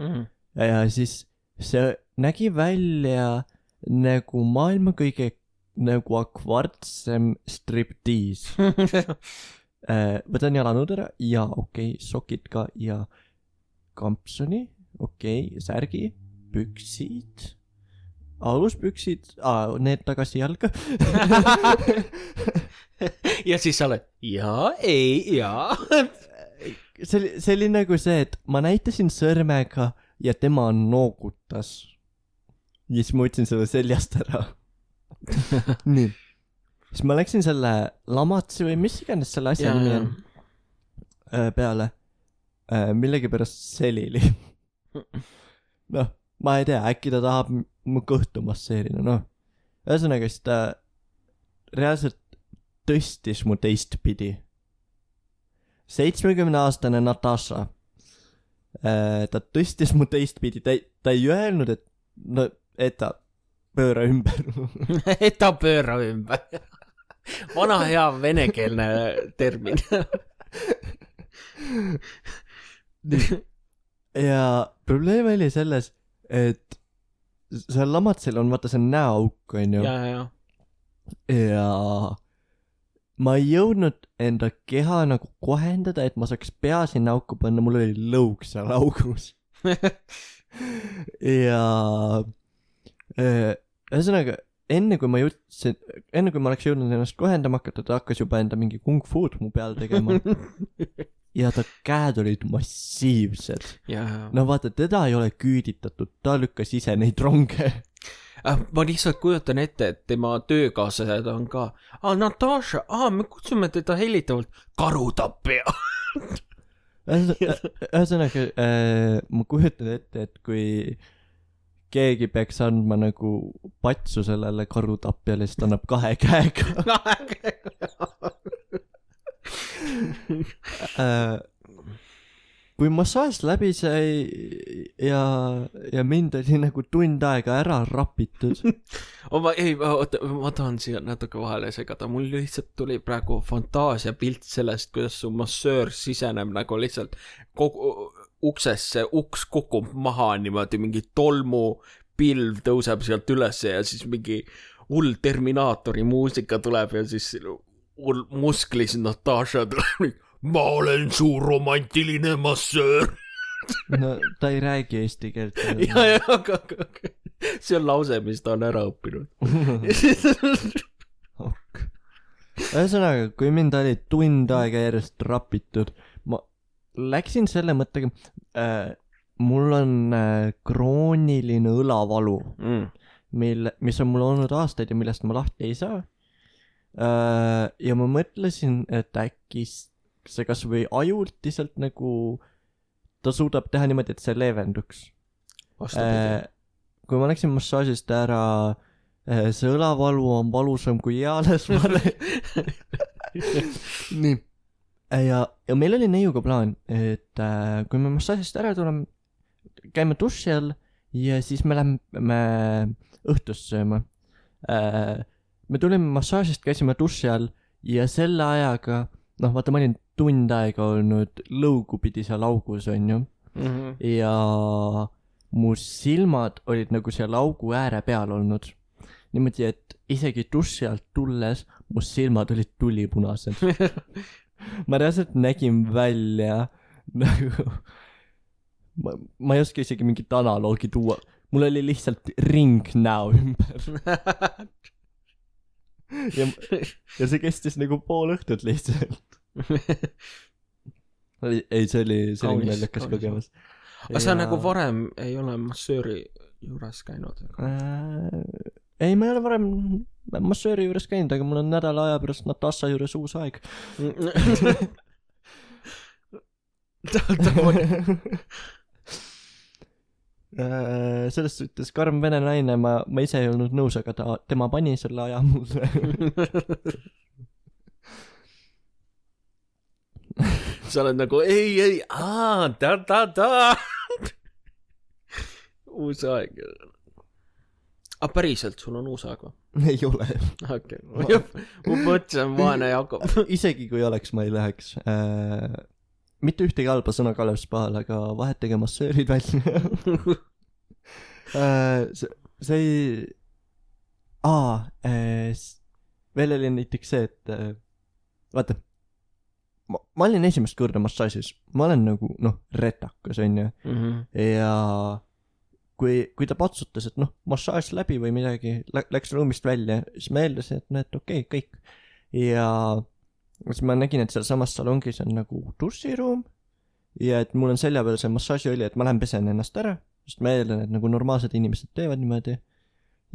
Mm. ja siis see nägi välja nagu maailma kõige nagu akvartsem striptiis. Võtan jalanõud ära ja okei, okay, sokid ka ja kampsoni, okei, okay, särgi, püksid, aluspüksid, aa, need tagasi jalga. ja siis sa oled, jaa, ei, jaa. see oli, see oli nagu see, et ma näitasin sõrmega ja tema noogutas. ja siis ma võtsin selle seljast ära. nii. siis ma läksin selle lamatsi või mis iganes selle asja nimi on peale. Millegipärast selili. noh, ma ei tea, äkki ta tahab mu kõhtu masseerida, noh. Ühesõnaga, siis ta reaalselt tõstis mu teistpidi. seitsmekümne aastane Natasha. Ta tõstis mu teistpidi, ta ei, ta ei öelnud, et no, et ta pööra ümber. et ta pööra ümber. Vana hea venekeelne termin. ja probleem oli selles, et seal lamatsil on, vaata, see on näoauk, on ju. ja, ja, ja. ja ma ei jõudnud enda keha nagu kohendada, et ma saaks pea sinna auku panna, mul oli lõug seal augus. ja ühesõnaga, enne kui ma jõudsin, enne kui ma oleks jõudnud ennast kohendama hakata, ta hakkas juba enda mingi kung fu'd mu peal tegema. ja ta käed olid massiivsed. no vaata, teda ei ole küüditatud, ta lükkas ise neid ronge. ma lihtsalt kujutan ette, et tema töökaaslased on ka, aa, Natasha, aa, me kutsume teda hellitavalt karutappia. ühesõnaga, äh, ma kujutan ette, et kui keegi peaks andma nagu patsu sellele karutapjale, siis ta annab kahe käega. kahe käega. äh, kui massaaž läbi sai ja, ja mind oli nagu tund aega ära rapitud. ma, ei, oota, ma tahan siia natuke vahele segada, mul lihtsalt tuli praegu fantaasia pilt sellest, kuidas su massöör siseneb nagu lihtsalt kogu uksesse, uks kukub maha niimoodi, mingi tolmupilv tõuseb sealt üles ja siis mingi hull Terminaatori muusika tuleb ja siis hull musklis Natasha tuleb. Ma olen su romantiline massöör. no ta ei räägi eesti keelt. ja, ja, aga, aga see on lause, mis ta on ära õppinud. ok. ühesõnaga, kui mind oli tund aega järjest rapitud, ma läksin selle mõttega äh,, mul on äh, krooniline õlavalu mm., mille, mis on mul olnud aastaid ja millest ma lahti ei saa äh,. ja ma mõtlesin, et äkki see kas või ajutiselt nagu ta suudab teha niimoodi, et see leevenduks. Äh, kui ma läksin massaažist ära, see õlavalu on valusam kui eales vale. Nii. Ja, ja meil oli neiuga plaan, et äh, kui me massaažist ära tuleme, käime duši all ja siis me lähme õhtust sööma. Äh, me tulime massaažist, käisime duši all ja selle ajaga, noh vaata, ma olin tund aega olnud lõugu pidi seal augus, on ju. Mm-hmm. Ja mu silmad olid nagu seal augu ääre peal olnud. Niimoodi, et isegi duši alt tulles mu silmad olid tulipunased. Ma reaalselt nägin välja nagu ma, ma ei oska isegi mingit analoogi tuua. Mul oli lihtsalt ring näo ümber. ja, ja see kestis nagu pool õhtut lihtsalt. ei, see oli, see oli naljakas kogemus. Aga sa ja... nagu varem ei ole massööri juures käinud? Äh, ei, ma ei ole varem massööri juures käinud, aga mul on nädala aja pärast Natasha juures uus aeg. äh, selles suhtes karm vene naine, ma, ma ise ei olnud nõus, aga ta, tema pani selle aja mulle. sa oled nagu ei, ei, aa, ta, ta, ta. uus aeg. A päriselt sul on uus aeg või? Ei ole. Okei, okay. ma mõtlesin vaene Jakob. Isegi kui oleks, ma ei läheks. Äh, mitte ühtegi halba sõna Kalev Spahal, aga vahetage massöörid välja. äh, see, see ei... Aa, äh, veel oli näiteks see, et äh, vaata, ma, ma olin esimest korda massaažis. Ma olen nagu, noh, retakas, on ju. Mm-hmm. Ja... kui, kui ta patsutas, et noh, massaaž läbi või midagi, lä- läks ruumist välja, siis ma eeldasin, et näed, okei, okay, kõik. Ja siis ma nägin, et seal samas salongis on nagu duširuum ja et mul on selja peal see massaaži oli, et ma lähen pesen ennast ära, sest ma eeldan, et nagu normaalsed inimesed teevad niimoodi.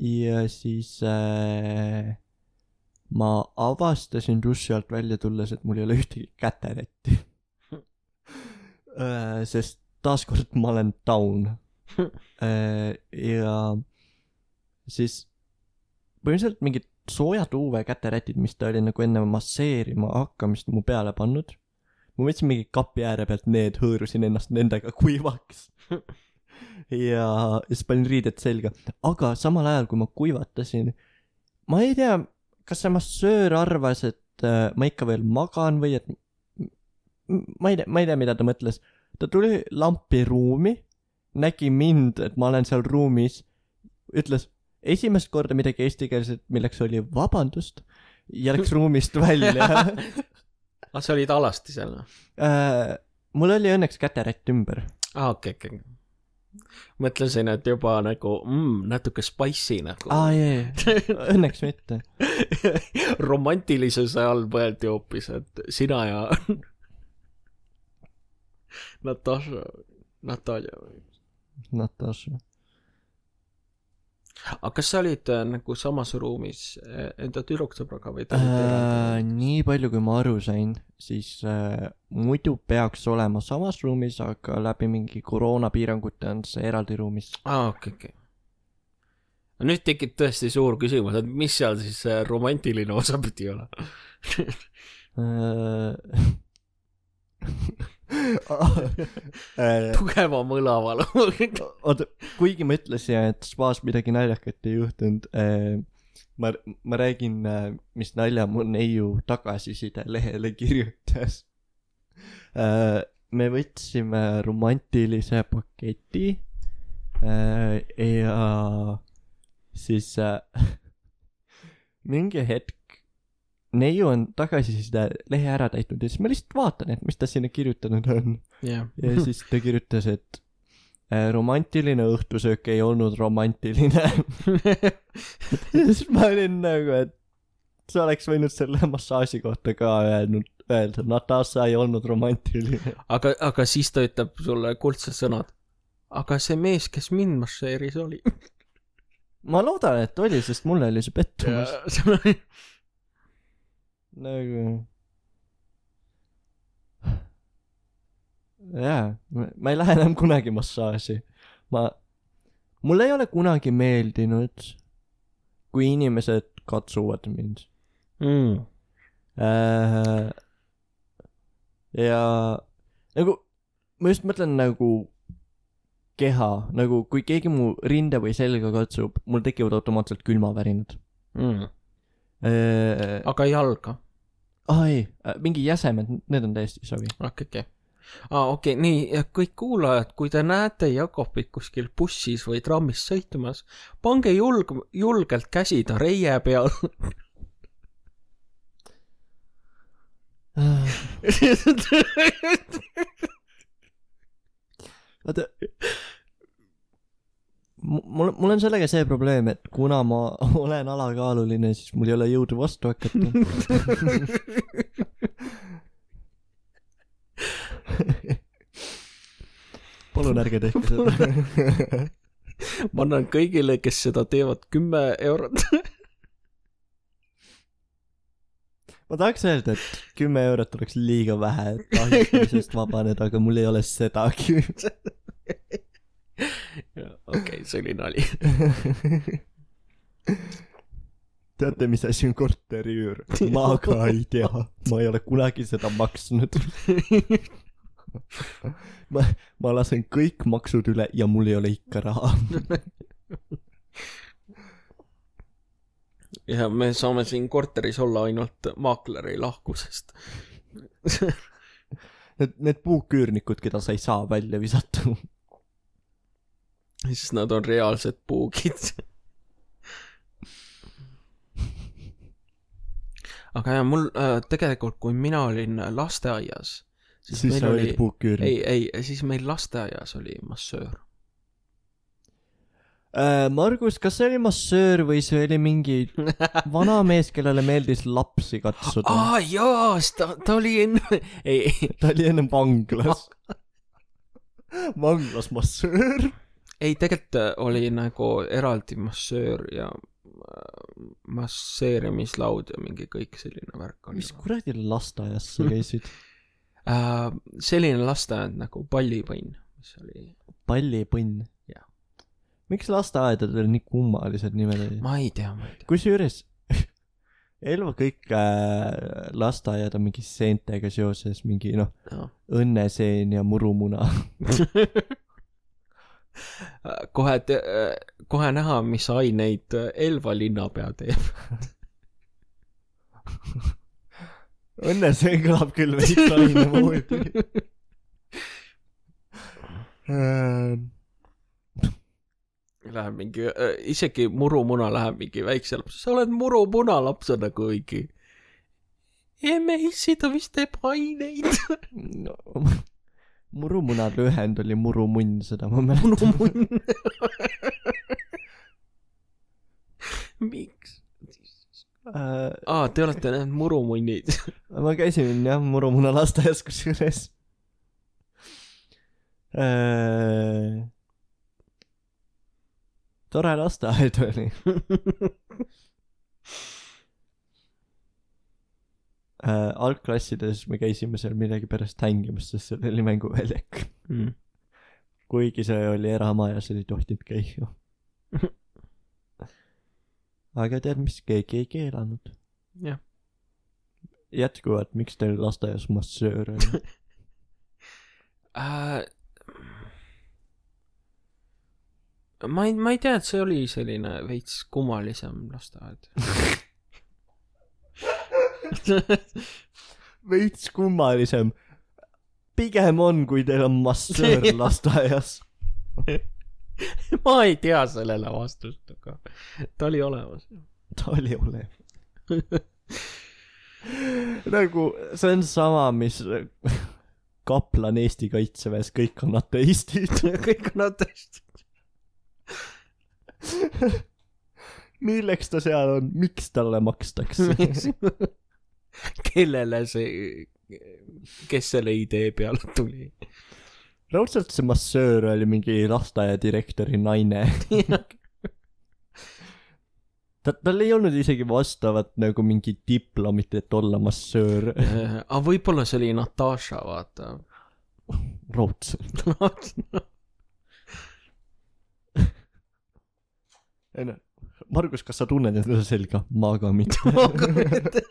Ja siis äh, ma avastasin duši alt välja tulles, et mul ei ole ühtegi käterätti. äh, sest taaskord ma olen down. Ja siis põhimõtteliselt mingid soojad U V käterätid, mis ta oli nagu enne masseerima hakkamist mu peale pannud. Ma võtsin mingi kapi ääre pealt need, hõõrusin ennast nendega kuivaks. Ja siis panin riided selga. Aga samal ajal, kui ma kuivatasin, ma ei tea, kas see massöör arvas, et äh, ma ikka veel magan või et ma ei tea, ma ei tea, mida ta mõtles. Ta tuli lampi ruumi, nägi mind, et ma olen seal ruumis, ütles esimest korda midagi eestikeelset, milleks oli vabandust, ja läks ruumist välja. Ah, sa olid alasti seal? Äh, mul oli õnneks käterätt ümber. Ah, okei, okay, okei. Okay. Mõtlesin, et juba nagu mm, natuke spicy nagu. Ah, jee, õnneks mitte. Romantilisuse all mõeldi hoopis, et sina ja Natasha, Natalja või? Natasha. Aga kas sa olid äh, nagu samas ruumis enda tüdruksõbraga või äh, nii palju kui ma aru sain, siis äh, muidu peaks olema samas ruumis, aga läbi mingi koroonapiirangute on see eraldi ruumis. Ah, okei, okay, okei okay. Nüüd tekib tõesti suur küsimus, et mis seal siis äh, romantiline osa pidi olla? Tugeva mõlavalu. Oota, kuigi ma ütlesin, et spaas midagi naljakat ei juhtunud, ma, ma räägin, mis nalja mu neiu tagasiside lehele kirjutas. Me võtsime romantilise paketi ja siis mingi hetk neiu on tagasiside lehe ära täitnud ja siis ma lihtsalt vaatan, et mis ta sinna kirjutanud on. Yeah. Ja siis ta kirjutas, et äh, romantiline õhtusöök ei olnud romantiline. Ja siis ma olin nagu, et sa oleks võinud selle massaaži kohta ka öelnud, öelda, Natasha ei olnud romantiline. Aga, aga siis ta ütleb sulle kuldsed sõnad. Aga see mees, kes mind masseeris oli. Ma loodan, et oli, sest mulle oli see pettumus. Nagu... Jaa, ma ei lähe enam kunagi massaaži. Ma... Mulle ei ole kunagi meeldinud, kui inimesed katsuvad mind. Mm. Äh, ja nagu, ma just mõtlen nagu keha, nagu kui keegi mu rinde või selga katsub, mul tekivad automaatselt külmavärinad. Mm. Äh, aga jalga? Ah, ei, mingi jäsemed, need on täiesti sobi. Okei, okei. Ah, okei, okay. Nii, ja kõik kuulajad, kui te näete Jakobit kuskil bussis või trammis sõitumas, pange julg, julgelt käsi ta reie peal. Vaata, mul, mul on sellega see probleem, et kuna ma olen alakaaluline, siis mul ei ole jõudu vastu hakata. Palun ärge tehke seda. Ma annan kõigile, kes seda teevad kümme eurot. Ma tahaks öelda, et kümme eurot oleks liiga vähe, et ahistamisest vabaneda, aga mul ei ole sedagi. Okei, see oli nali. Teate, mis asi on korteriüür? Ma ka ei tea. Ma ei ole kunagi seda maksnud. Ma, ma lasen kõik maksud üle ja mul ei ole ikka raha. Ja me saame siin korteris olla ainult maakleri lahkusest. Need, need puuküürnikud, keda sa ei saa välja visata. Siis nad on reaalsed puugid. Aga ja mul äh, tegelikult, kui mina olin lasteaias, siis, siis sa olid puuküürnik. Ei, ei, siis meil lasteaias oli massöör. Äh, Margus, kas see oli massöör või see oli mingi vana mees, kellele meeldis lapsi katsuda? Aa, jaa, ta, ta oli enne... Ei, ei. Ta oli enne vanglas. Vanglas massöör? Ei, tegelikult oli nagu eraldi massöör ja masseerimislaud ja mingi kõik selline värk oli. Mis kuradi lasteaias sa käisid? Uh, selline lasteaed nagu Pallipõnn, mis oli... Pallipõnn? Jah. Miks lasteaedadel nii kummalised nimed oli? Ma ei tea, ma ei tea. Kusjuures Elva kõik äh, lasteaiad on mingi seentega seoses, mingi noh, no. Õnneseen ja murumuna. kohe, te, kohe näha, mis aineid Elva linnapea teeb. Õnneseen kõlab küll veits aine moodi. Läheb mingi, isegi murumuna läheb mingi väikse laps. Sa oled murumuna lapsena kuigi. Emeissi ta vist teeb aineid. No, murumuna lühend oli murumunn, seda ma mäletan. Murumunn. Miks? Uh, Aa, te olete need murumunnid. Ma käisin jah murumuna lasteaias kusjuures. Uh, tore lasteaed oli. uh, algklassides me käisime seal midagi pärast hängimas, sest seal oli mänguväljak. Mm. Kuigi see oli eramajas, ei tohtinud käia. Aga tead, mis keegi ei keelanud. Jah. Jätkuvalt, miks teil lasteaias massöör on? uh, ma, ei, ma ei tea, et see oli selline veits kummalisem lasteaed. Veits kummalisem. Pigem on, kui teil on massöör lasteaias. Ma ei tea sellele vastust, aga ta oli olemas. Ta oli olemas. Nagu, see on sama, mis kaplan Eesti kaitseväes, kõik on ateistid. Kõik on ateistid. milleks ta seal on, miks talle makstakse? Kellele see, kes selle idee peale tuli? Raudselt see massöör oli mingi lasteaia direktori naine. ta, tal ei olnud isegi vastavat nagu mingi diplomit, et olla massöör. Aga võib-olla see oli Natasha, vaata. Raudselt. Margus, kas sa tunned enda selga? Maaga mitte. Maaga mitte.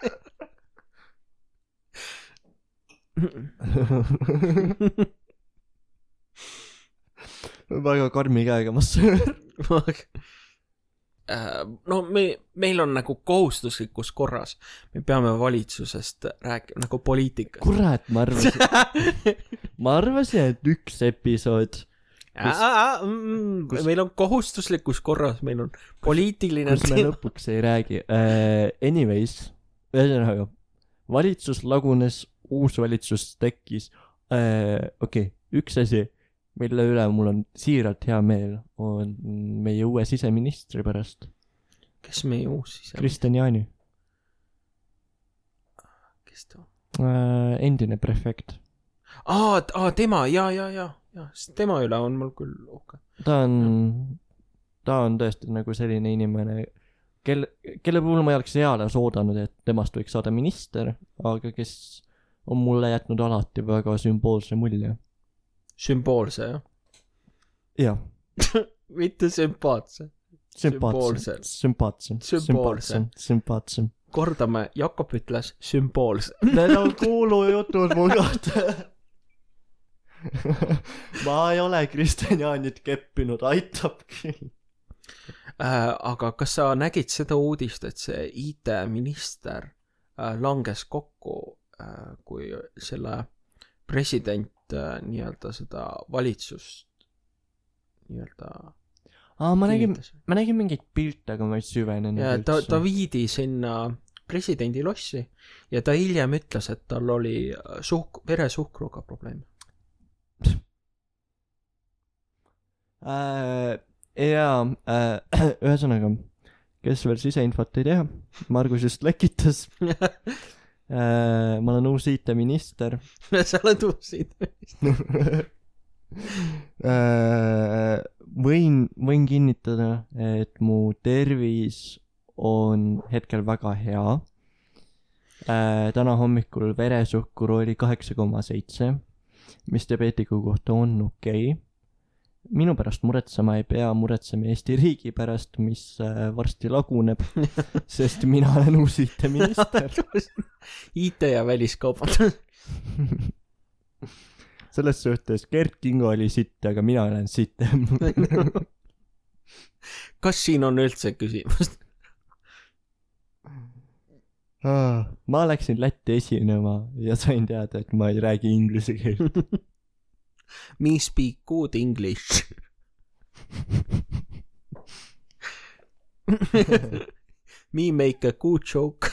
Väga karmi käega massöör. No me, meil on nagu kohustuslikus korras. Me peame valitsusest rääkima, nagu poliitikast. Kurat, ma arvasin. ma arvasin, et üks episood Kus, aa, mm, kus, meil on kohustuslikus korras, meil on poliitiline kus me lõpuks ei räägi. uh, anyways, ühesõnaga, valitsus lagunes, uus valitsus tekkis. uh, okei, okay, üks asi, mille üle mul on siiralt hea meel, on meie uue siseministri pärast. Kes meie uus siseministri? Kristjan Jaani. Kes ta? uh, endine prefekt. aa, aa, tema, ja, ja, ja jah, tema üle on mul küll uhke. Ta on, ta on tõesti nagu selline inimene, kelle, kelle puhul ma ei oleks eales oodanud, et temast võiks saada minister, aga kes on mulle jätnud alati väga sümboolse mulje. Sümboolse, jah? Jah. Mitte sümpaatse. Sümpaatse. Sümpaatse. Sümboolse. Sümpaatse. Kordame, Jakob ütles sümboolse. Need on kuulujutud mu kohta. ma ei ole Kristjan Jaanit keppinud, aitab küll. Äh, aga kas sa nägid seda uudist, et see I T-minister äh, langes kokku, äh, kui selle president äh, nii-öelda seda valitsust nii-öelda Aa, ma nägin, ma nägin mingit pilte, aga ma ei süvenenud. Ja ta, ta viidi sinna presidendi lossi ja ta hiljem ütles, et tal oli suhk, veresuhkruga probleem. Äh, jaa, äh, ühesõnaga, kes veel siseinfot ei tea, Margus just lekitas. äh, ma olen uus I T-minister. Sa oled uus I T-minister. äh, võin, võin kinnitada, et mu tervis on hetkel väga hea. äh, Täna hommikul veresuhkur oli kaheksa koma seitse, mis diabeetiku kohta on okei okay. Minu pärast muretsema ei pea, muretseme Eesti riigi pärast, mis äh, varsti laguneb, sest mina olen uus I T-minister. I T ja väliskaubandus. Selles suhtes Gert Kingo oli sitt, aga mina olen sitt. Kas siin on üldse küsimust? Ah, ma läksin Lätti esinema ja sain teada, et ma ei räägi inglise keelt. Me speak good English. Me make a good joke.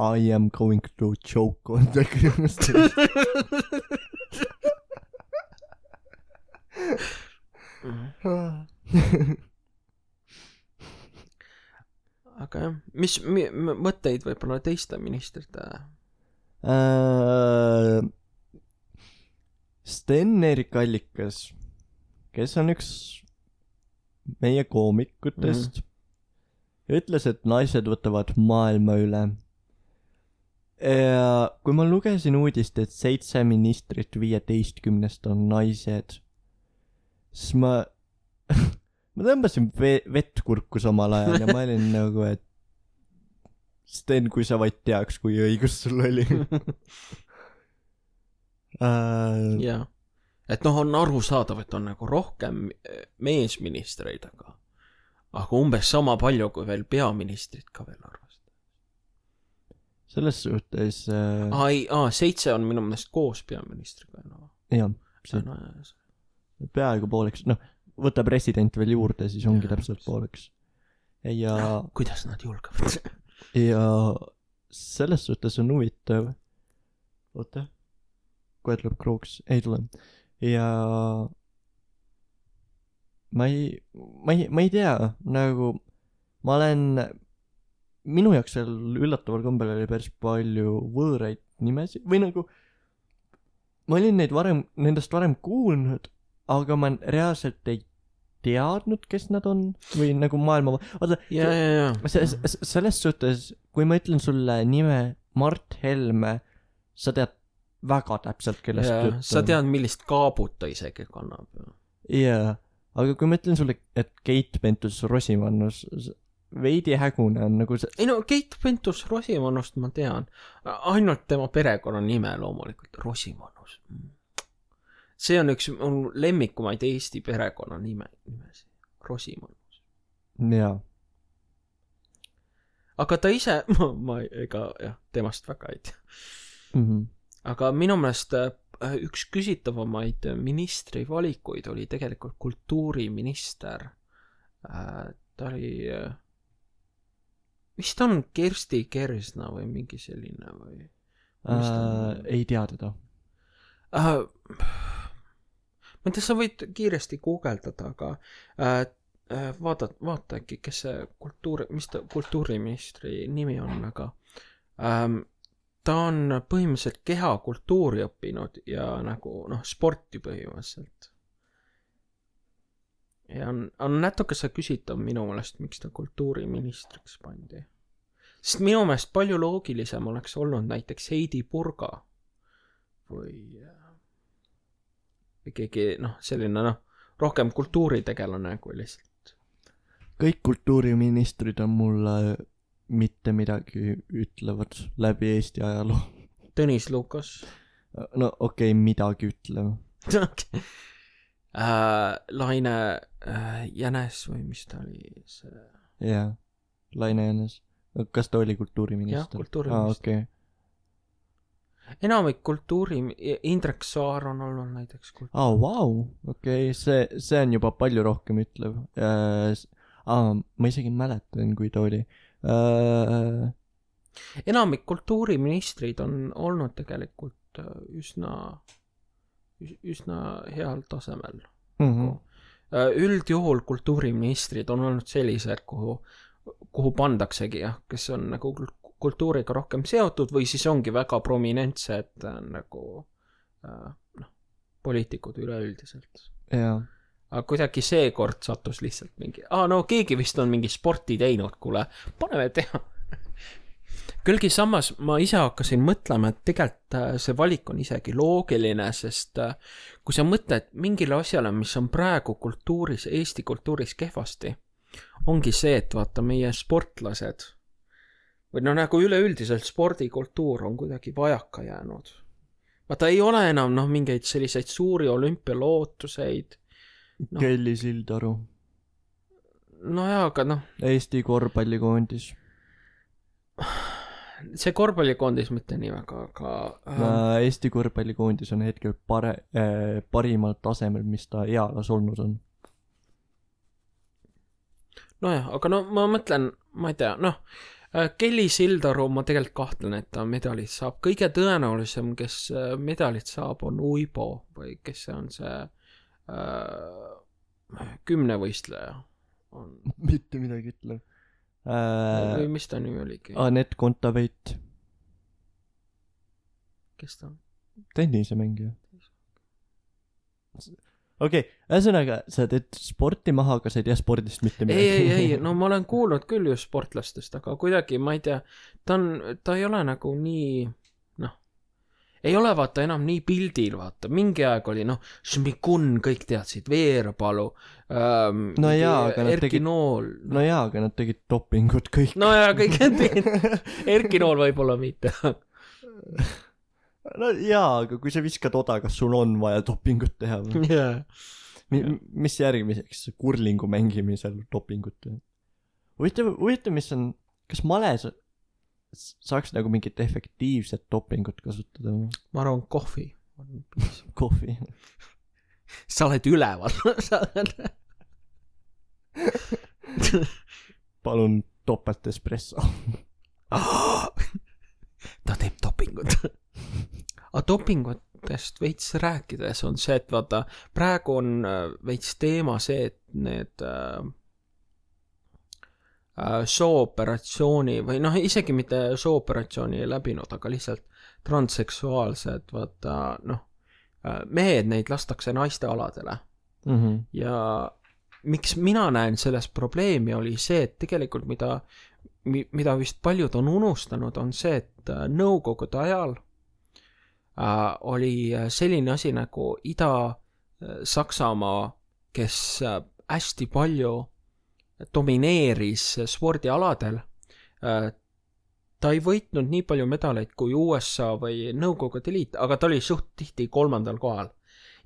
I am going to choke on the ground. Aga jah, mis mi, mõtteid võib-olla teiste ministrite? Uh, Sten-Erik Allikas, kes on üks meie koomikutest, mm-hmm. ütles, et naised võtavad maailma üle. Ja kui ma lugesin uudist, et seitse ministrit viieteistkümnest on naised, siis ma ma tõmbasin ve- vett kurku samal ajal ja ma olin nagu, et Sten, kui sa vaid teaks, kui õigus sul oli. uh... jah, et noh, on arusaadav, et on nagu rohkem meesministreid, aga aga umbes sama palju kui veel peaministrit ka veel arvestada. Selles suhtes uh... aa, ei, aa, seitse on minu meelest koos peaministriga no. jah, see no, peaaegu pooleks, noh, võta president veel juurde, siis ongi ja, täpselt pooleks ja no, kuidas nad julgevad? Ja selles suhtes on huvitav. Oota, kohe tuleb krooks, ei tule. Ja ma ei, ma ei, ma ei tea, nagu ma olen, minu jaoks seal üllataval kombel oli päris palju võõraid nimesid või nagu ma olin neid varem, nendest varem kuulnud, aga ma reaalselt ei teadnud, kes nad on või nagu maailma, oota, ja, ja, ja. selles suhtes, kui ma ütlen sulle nime Mart Helme, sa tead väga täpselt, kellest jutt on. Sa tead, millist kaabut ta isegi kannab. Jaa, aga kui ma ütlen sulle, et Keit Pentus-Rosimannus veidi hägune on nagu see... Ei no, Keit Pentus-Rosimannust ma tean. Ainult tema perekonna nime loomulikult, Rosimannus. See on üks on lemmikumaid Eesti perekonna nime, nimesi. Rosimannus. Jaa. Aga ta ise, ma, ma ega jah, temast väga ei tea. Mm-hmm. Aga minu meelest üks küsitavamaid ministri valikuid oli tegelikult kultuuriminister. Ta oli, vist on Kersti Kersna või mingi selline või? Äh, ei tea teda. Uh, ma ei tea, sa võid kiiresti guugeldada, aga uh, vaata, vaata äkki, kes see kultuuri, mis ta kultuuriministri nimi on, aga um, ta on põhimõtteliselt kehakultuuri õppinud ja nagu noh, sporti põhimõtteliselt. Ja on, on natuke see küsitav minu meelest, miks ta kultuuriministriks pandi. Sest minu meelest palju loogilisem oleks olnud näiteks Heidi Purga või, või keegi, noh, selline, noh, rohkem kultuuritegelane kui lihtsalt. Kõik kultuuriministrid on mulle mitte midagi ütlevad läbi Eesti ajaloo. Tõnis Lukas. No okei, okay, midagi ütlev. Okay. Uh, Laine uh, Jänes või mis ta oli see? Jaa, Laine Jänes. Kas ta oli kultuuriminister? Jah, kultuuriminister. Ah, okei. Okay. Enamik kultuuri, Indrek Saar on olnud näiteks kultuuri. Ah, vau, okei, okay. see, see on juba palju rohkem ütlev. Uh, ah, ma isegi mäletan, kui ta oli. Uh... Enamik kultuuriministrid on olnud tegelikult üsna, üsna heal tasemel. Mm-hmm. Üldjuhul kultuuriministrid on olnud sellised, kuhu, kuhu pandaksegi, jah, kes on nagu kultuuriga rohkem seotud või siis ongi väga prominentsed nagu noh, poliitikud üleüldiselt. Jaa. Aga kuidagi seekord sattus lihtsalt mingi, aa no keegi vist on mingi sporti teinud, kuule, paneme teha. Külgi samas ma ise hakkasin mõtlema, et tegelikult see valik on isegi loogiline, sest kui sa mõtled mingile asjale, mis on praegu kultuuris, Eesti kultuuris kehvasti, ongi see, et vaata meie sportlased või no nagu üleüldiselt spordikultuur on kuidagi vajaka jäänud. Vaata ei ole enam noh mingeid selliseid suuri olümpialootuseid. No. Kelly Sildaru. No jaa, aga noh. Eesti korvpallikoondis. See korvpallikoondis mitte nii väga, aga... No, Eesti korvpallikoondis on hetkel pare, äh, parimal tasemel, mis ta ealas olnud on. No jah, aga no ma mõtlen, ma ei tea, noh, Kelly Sildaru ma tegelikult kahtlen, et ta medalit saab. Kõige tõenäolisem, kes medalit saab, on Uibo või kes see on see äh, kümnevõistleja. On... Mitte midagi ütle. Äh, või mis ta nimi oligi? Anett Kontaveit. Kes ta on? Tennisemängija. Okei, okay, ühesõnaga, sa teed sporti maha, aga sa ei tea spordist mitte midagi. Ei, ei, ei, no ma olen kuulnud küll just sportlastest, aga kuidagi, ma ei tea, ta on, ta ei ole nagu nii, noh, ei ole vaata enam nii pildil, vaata, mingi aeg oli, noh, Šmikun, kõik teadsid, Veerpalu, ähm, no jaa, aga nad Erki tegid, Nool. No. no jaa, aga nad tegid dopingut kõik. No jaa, kõik tegid, Erki Nool võib-olla mitte. No jaa, aga kui sa viskad oda, kas sul on vaja dopingut teha? Yeah. Mi- mis järgmiseks? Kurlingu mängimisel dopingut teha? Huvitav, huvitav, mis on, kas males saaks nagu mingit efektiivset dopingut kasutada? Ma arvan, kohvi. Kohvi. Sa oled üleval. Palun topelt espresso. Ta teeb dopingut. A dopingut naistest veits rääkides on see, et vaata, praegu on veits teema see, et need äh, sooperatsiooni või noh, isegi mitte sooperatsiooni ei läbinud, aga lihtsalt transseksuaalsed, vaata, noh, mehed neid lastakse naiste aladele. Mm-hmm. Ja miks mina näen selles probleemi oli see, et tegelikult mida, mida vist paljud on unustanud, on see, et nõukogude ajal äh, oli selline asi nagu Ida-Saksamaa, kes hästi palju domineeris spordialadel. Äh, ta ei võitnud nii palju medaleid kui U S A või Nõukogude Liit, aga ta oli suht tihti kolmandal kohal.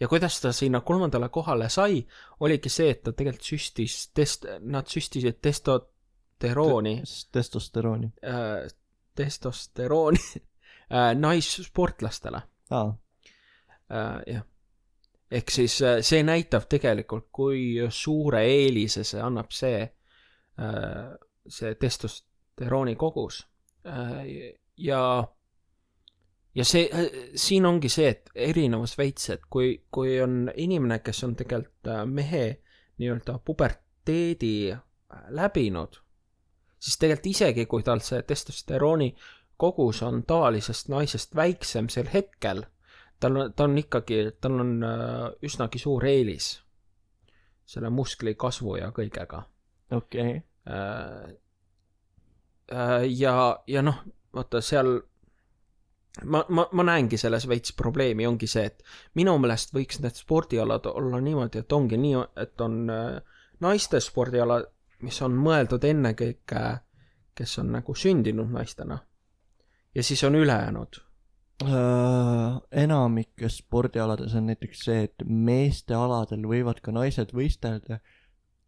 Ja kuidas ta sinna kolmandale kohale sai, oligi see, et ta tegelikult süstis, test, nad süstisid testosterooni. Testosterooni. Äh, testosterooni äh, naissportlastele. Aa. Äh, jah. Ehk siis äh, see näitab tegelikult, kui suure eelise see annab see, äh, see testosterooni kogus. Äh, ja Ja see, siin ongi see, et erinevus veits, et kui, kui on inimene, kes on tegelikult mehe nii-öelda puberteedi läbinud, siis tegelikult isegi, kui tal see testosterooni kogus on tavalisest naisest väiksem sel hetkel, tal on, ta on ikkagi, tal on üsnagi suur eelis selle muskli kasvu ja kõigega. Okei. Okay. Ja, ja noh, vaata seal Ma, ma, ma näengi selles veits probleemi, ongi see, et minu meelest võiks need spordialad olla niimoodi, et ongi nii, et on naiste spordiala, mis on mõeldud ennekõike, kes on nagu sündinud naistena. Ja siis on ülejäänud. Äh, enamikes spordialades on näiteks see, et meeste aladel võivad ka naised võistelda,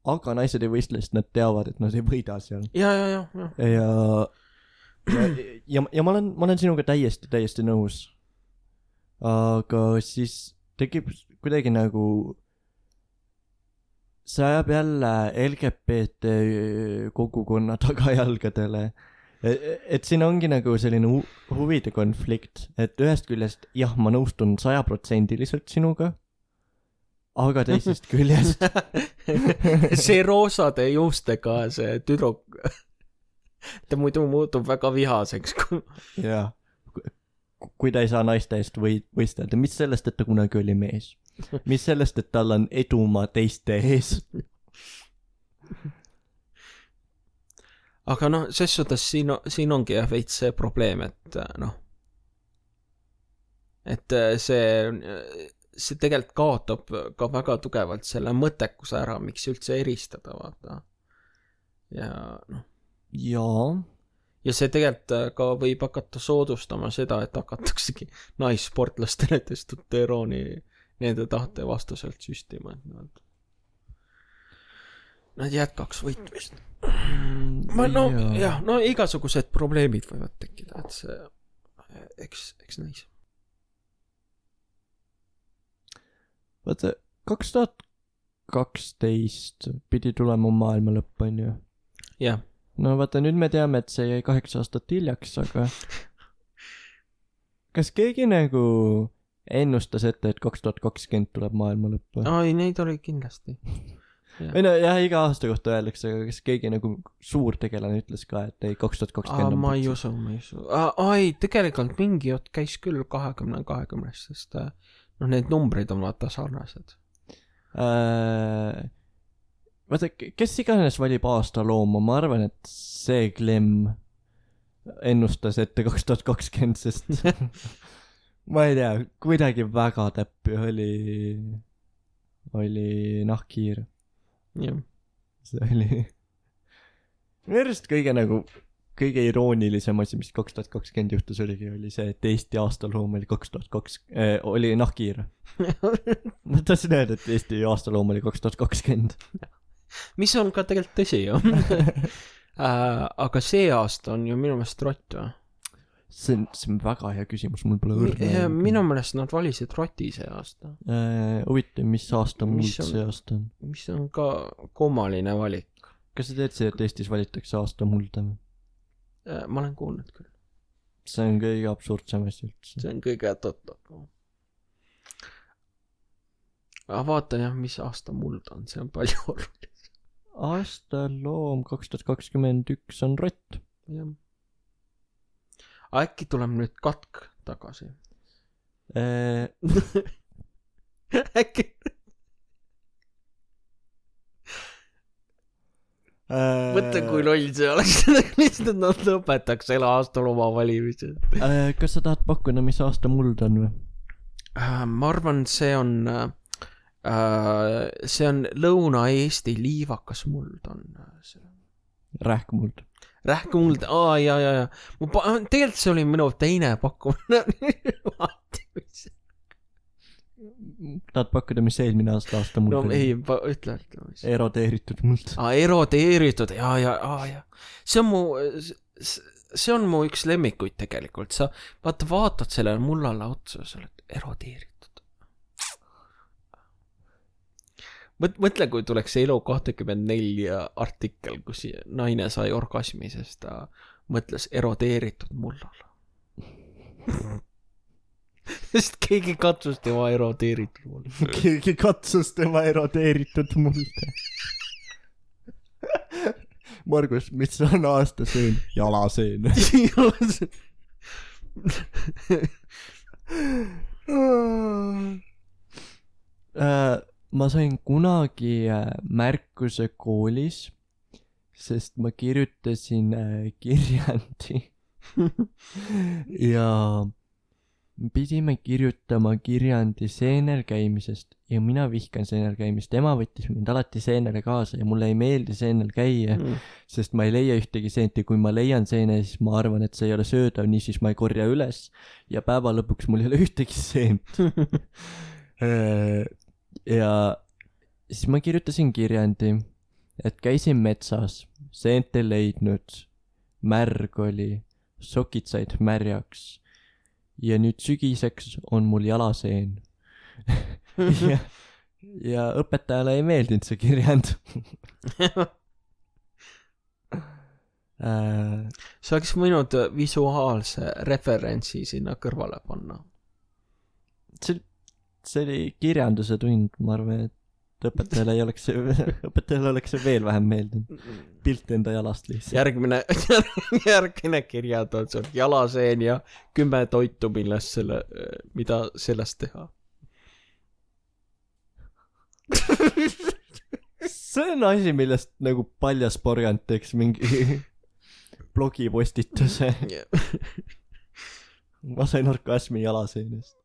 aga naised ei võistle, sest nad teavad, et nad ei võida seal. Ja, ja, ja. ja. ja ja, ja, ja ma olen, ma olen sinuga täiesti, täiesti nõus. Aga siis tekib kuidagi nagu see ajab jälle L G B T kogukonna tagajalgadele. Et siin ongi nagu selline hu- huvide konflikt, et ühest küljest, jah, ma nõustun sajaprotsendiliselt sinuga, aga teisest küljest see roosade juustega see tüdruk ta muidu muutub väga vihaseks. Jaa. Kui ta ei saa naiste eest või, võistelda, mis sellest, et ta kunagi oli mees? Mis sellest, et tal on edumaa teiste ees? Aga noh, ses suhtes siin, siin ongi jah veits see probleem, et noh, et see, see tegelikult kaotab ka väga tugevalt selle mõttekuse ära, miks üldse eristada, vaata. Ja noh, Jaa. Ja see tegelikult ka võib hakata soodustama seda, et hakataksegi naissportlastele testosterooni nende tahte vastaselt süstima. Nad, nad jätkaks võitmist. Ma, no, jah, no igasugused probleemid võivad tekkida, et see, eks, eks näis. Vaata, kaks tuhat kaksteist pidi tulema maailma lõpp, on ju? Jah. No vaata, nüüd me teame, et see jäi kaheksa aastat hiljaks, aga kas keegi nagu ennustas ette, et kaks tuhat kakskümmend tuleb maailma lõpp? Ai, neid oli kindlasti. Ja. Või no jah, iga aasta kohta öeldakse, aga kas keegi nagu suur tegelane ütles ka, et ei, kaks tuhat kakskümmend on ma ei usu, ma ei usu. Ai, tegelikult mingi jutt käis küll kahekümne kahekümnest, sest no need numbrid on vaata sarnased. Äh... Vaata, kes iganes valib aasta looma, ma arvan, et see Clem ennustas ette kaks tuhat kakskümmend, sest ma ei tea, kuidagi väga täppi oli, oli nahkhiir. Jah. See oli minu arust kõige nagu, kõige iroonilisem asi, mis kaks tuhat kakskümmend juhtus oligi, oli see, et Eesti aastaloom oli kaks tuhat kaks, äh, oli nahkhiir. Ma tahtsin öelda, et Eesti aastaloom oli kaks tuhat kakskümmend. Mis on ka tegelikult tõsi, ju. äh, aga see aasta on ju minu meelest rott, või? See on, see on väga hea küsimus, mul pole õrna. Minu meelest nad valisid roti see aasta. Äh, huvitav, mis aasta muld see aasta on? Mis on ka kummaline valik. Kas sa teed see, et Eestis valitakse aasta mulda? Äh, ma olen kuulnud küll. See on kõige absurdsem asi üldse. See on kõige totakam. aga vaatan jah, mis aasta muld on, see on palju oluline. Aastaloom kaks tuhat kakskümmend üks on rott. Jah. Äkki tuleb nüüd katk tagasi? Äh... Äkki... Mõtle, kui loll see oleks, lihtsalt nad lõpetaks ela aastal oma valimised. Äh, kas sa tahad pakkuda, mis aasta muld on või? Äh, ma arvan, see on äh, see on Lõuna-Eesti liivakas muld on see. Rähkmuld. Rähkmuld, aa, ja, ja, ja. Tegelikult see oli minu teine pakkumine. Tahad pakkuda, mis eelmine aasta aasta muld no, on? ei, ütle, ütle. Erodeeritud muld. Aa, erodeeritud, jaa, jaa, aa, jaa. See on mu, see on mu üks lemmikuid tegelikult. Sa vaata, vaatad sellele mullale otsa, sa oled erodeeritud. Mõtle, kui tuleks Elu kakskümmend neli artikkel, kus naine sai orgasmi, sest ta mõtles erodeeritud mullale. Sest keegi katsus tema erodeeritud mulde. Keegi katsus tema erodeeritud mulde. Margus, mis on aastaseen? Jalaseen. Jalaseen. Ma sain kunagi märkuse koolis, sest ma kirjutasin kirjandi. Ja pidime kirjutama kirjandi seenel käimisest ja mina vihkan seenel käimist. Ema võttis mind alati seenele kaasa ja mulle ei meeldi seenel käia, mm. sest ma ei leia ühtegi seenti. Kui ma leian seene, siis ma arvan, et see ei ole söödav, nii siis ma ei korja üles ja päeva lõpuks mul ei ole ühtegi seent. Ja siis ma kirjutasin kirjandi, et käisin metsas, seent ei leidnud, märg oli, sokid said märjaks ja nüüd sügiseks on mul jalaseen. ja, ja õpetajale ei meeldinud see kirjand. Sa oleks võinud visuaalse referentsi sinna kõrvale panna. See, see oli kirjanduse tund, ma arvan, et õpetajale ei oleks see, õpetajale oleks see veel vähem meeldinud. Pilt enda jalast lihtsalt. Järgmine, järgmine kirjad on sul jalaseen ja kümme toitu, millest selle, mida sellest teha. See on asi, millest nagu Paljas Porgand teeks mingi blogipostituse. Ma sain orgasmi jalaseenest.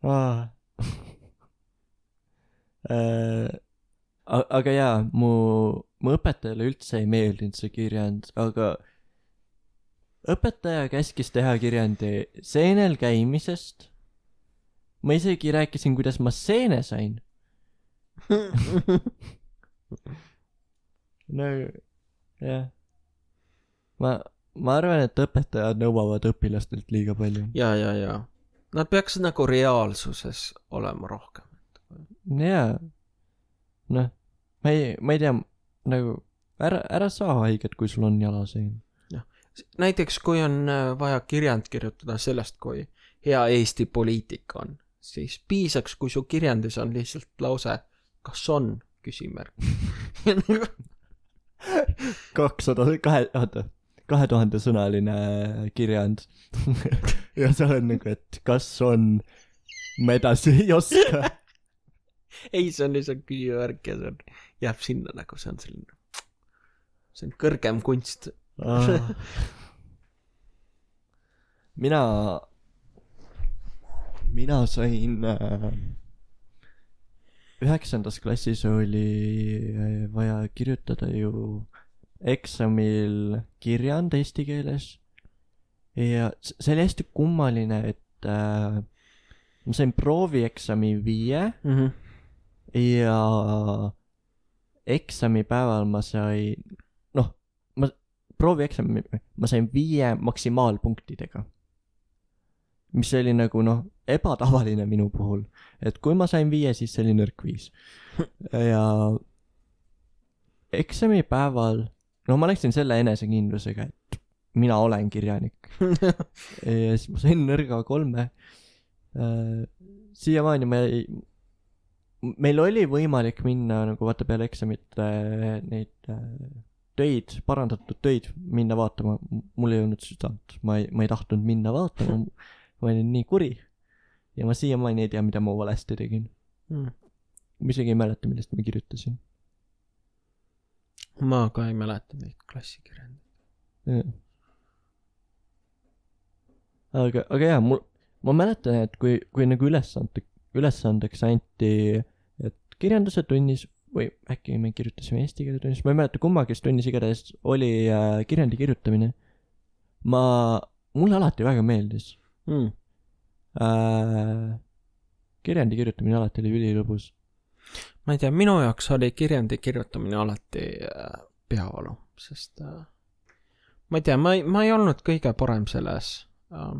ah. äh, aga jaa, mu, mu õpetajale üldse ei meeldinud see kirjand, aga õpetaja käskis teha kirjandi seenel käimisest. Ma isegi rääkisin, kuidas ma seene sain. no jah, ma ma arvan, et õpetajad nõuavad õpilastelt liiga palju. Ja, ja, ja. Nad peaks nagu reaalsuses olema rohkem. Jaa. Noh, ma ei, ma ei tea, nagu ära, ära saa haiget, kui sul on jalaseen. Ja. Näiteks, kui on vaja kirjand kirjutada sellest, kui hea Eesti poliitika on, siis piisaks, kui su kirjandis on lihtsalt lause, kas on küsimärk. kakssada, kahe, oota. kahe tuhande sõnaline kirjand. ja see on nagu, et kas on, ma edasi ei oska. ei, see on lihtsalt küsimärk ja see on, jääb sinna nagu, see on selline, see on kõrgem kunst. ah. mina, mina sain äh, üheksandas klassis oli vaja kirjutada ju eksamil kirjand eesti keeles ja see oli hästi kummaline, et äh, ma sain proovieksami viie mm-hmm. ja eksamipäeval ma sain, noh, ma proovieksami, ma sain viie maksimaalpunktidega, mis oli nagu noh, ebatavaline minu puhul, et kui ma sain viie, siis see oli nõrk viis. ja eksamipäeval no ma läksin selle enesekindlusega, et mina olen kirjanik. Ja siis ma sain nõrga kolme. Siiamaani me ei, meil oli võimalik minna nagu vaata peale eksamit neid töid, parandatud töid minna vaatama. Mul ei olnud südant, ma ei, ma ei tahtnud minna vaatama, ma olin nii kuri ja ma siiamaani ei tea, mida ma valesti tegin. Hmm. Ma isegi ei mäleta, millest ma kirjutasin. Ma ka ei mäleta neid klassikirjandeid. Aga, aga jah, mul, ma mäletan, et kui, kui nagu ülesande, ülesandeks anti, et kirjanduse tunnis, või äkki me kirjutasime eesti keele tunnis, ma ei mäleta kummagis tunnis igatahes oli äh, kirjandi kirjutamine. Ma, mulle alati väga meeldis. Mm. Äh, kirjandi kirjutamine alati oli ülilõbus. Ma ei tea, minu jaoks oli kirjandi kirjutamine alati äh, peavalu, sest äh, ma ei tea, ma ei, ma ei olnud kõige parem selles. Uh,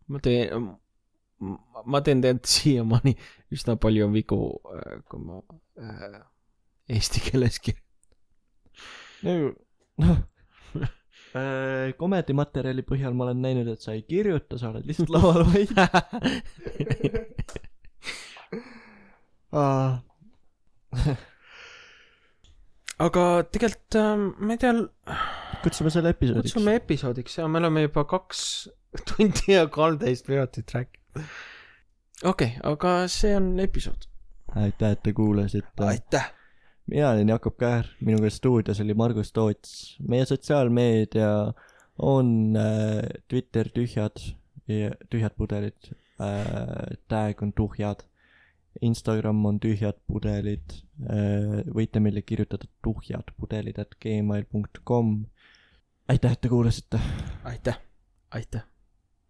ma teen ma teen tegelikult siiamaani üsna palju vigu uh, kui ma uh, eesti keeles kirjutan. noh uh, komedimaterjali põhjal ma olen näinud, et sa ei kirjuta, sa oled lihtsalt laval vaid. Aga tegelikult uh, ma ei tea, kutsume selle episoodiks. Kutsume episoodiks ja me oleme juba kaks tundi ja kolmteist minutit rääkinud. Okei, okay, aga see on episood. Aitäh, et te kuulasite. Aitäh. Mina olen Jakob Käär, minuga stuudios oli Margus Toots. Meie sotsiaalmeedia on äh, Twitter tühjad, tühjad pudelid, äh, tag on tuhjad, Instagram on tühjad pudelid, äh, võite meile kirjutada tuhjad pudelid at gmail dot com. Aitäh, et te kuulasite. Aitäh, aitäh.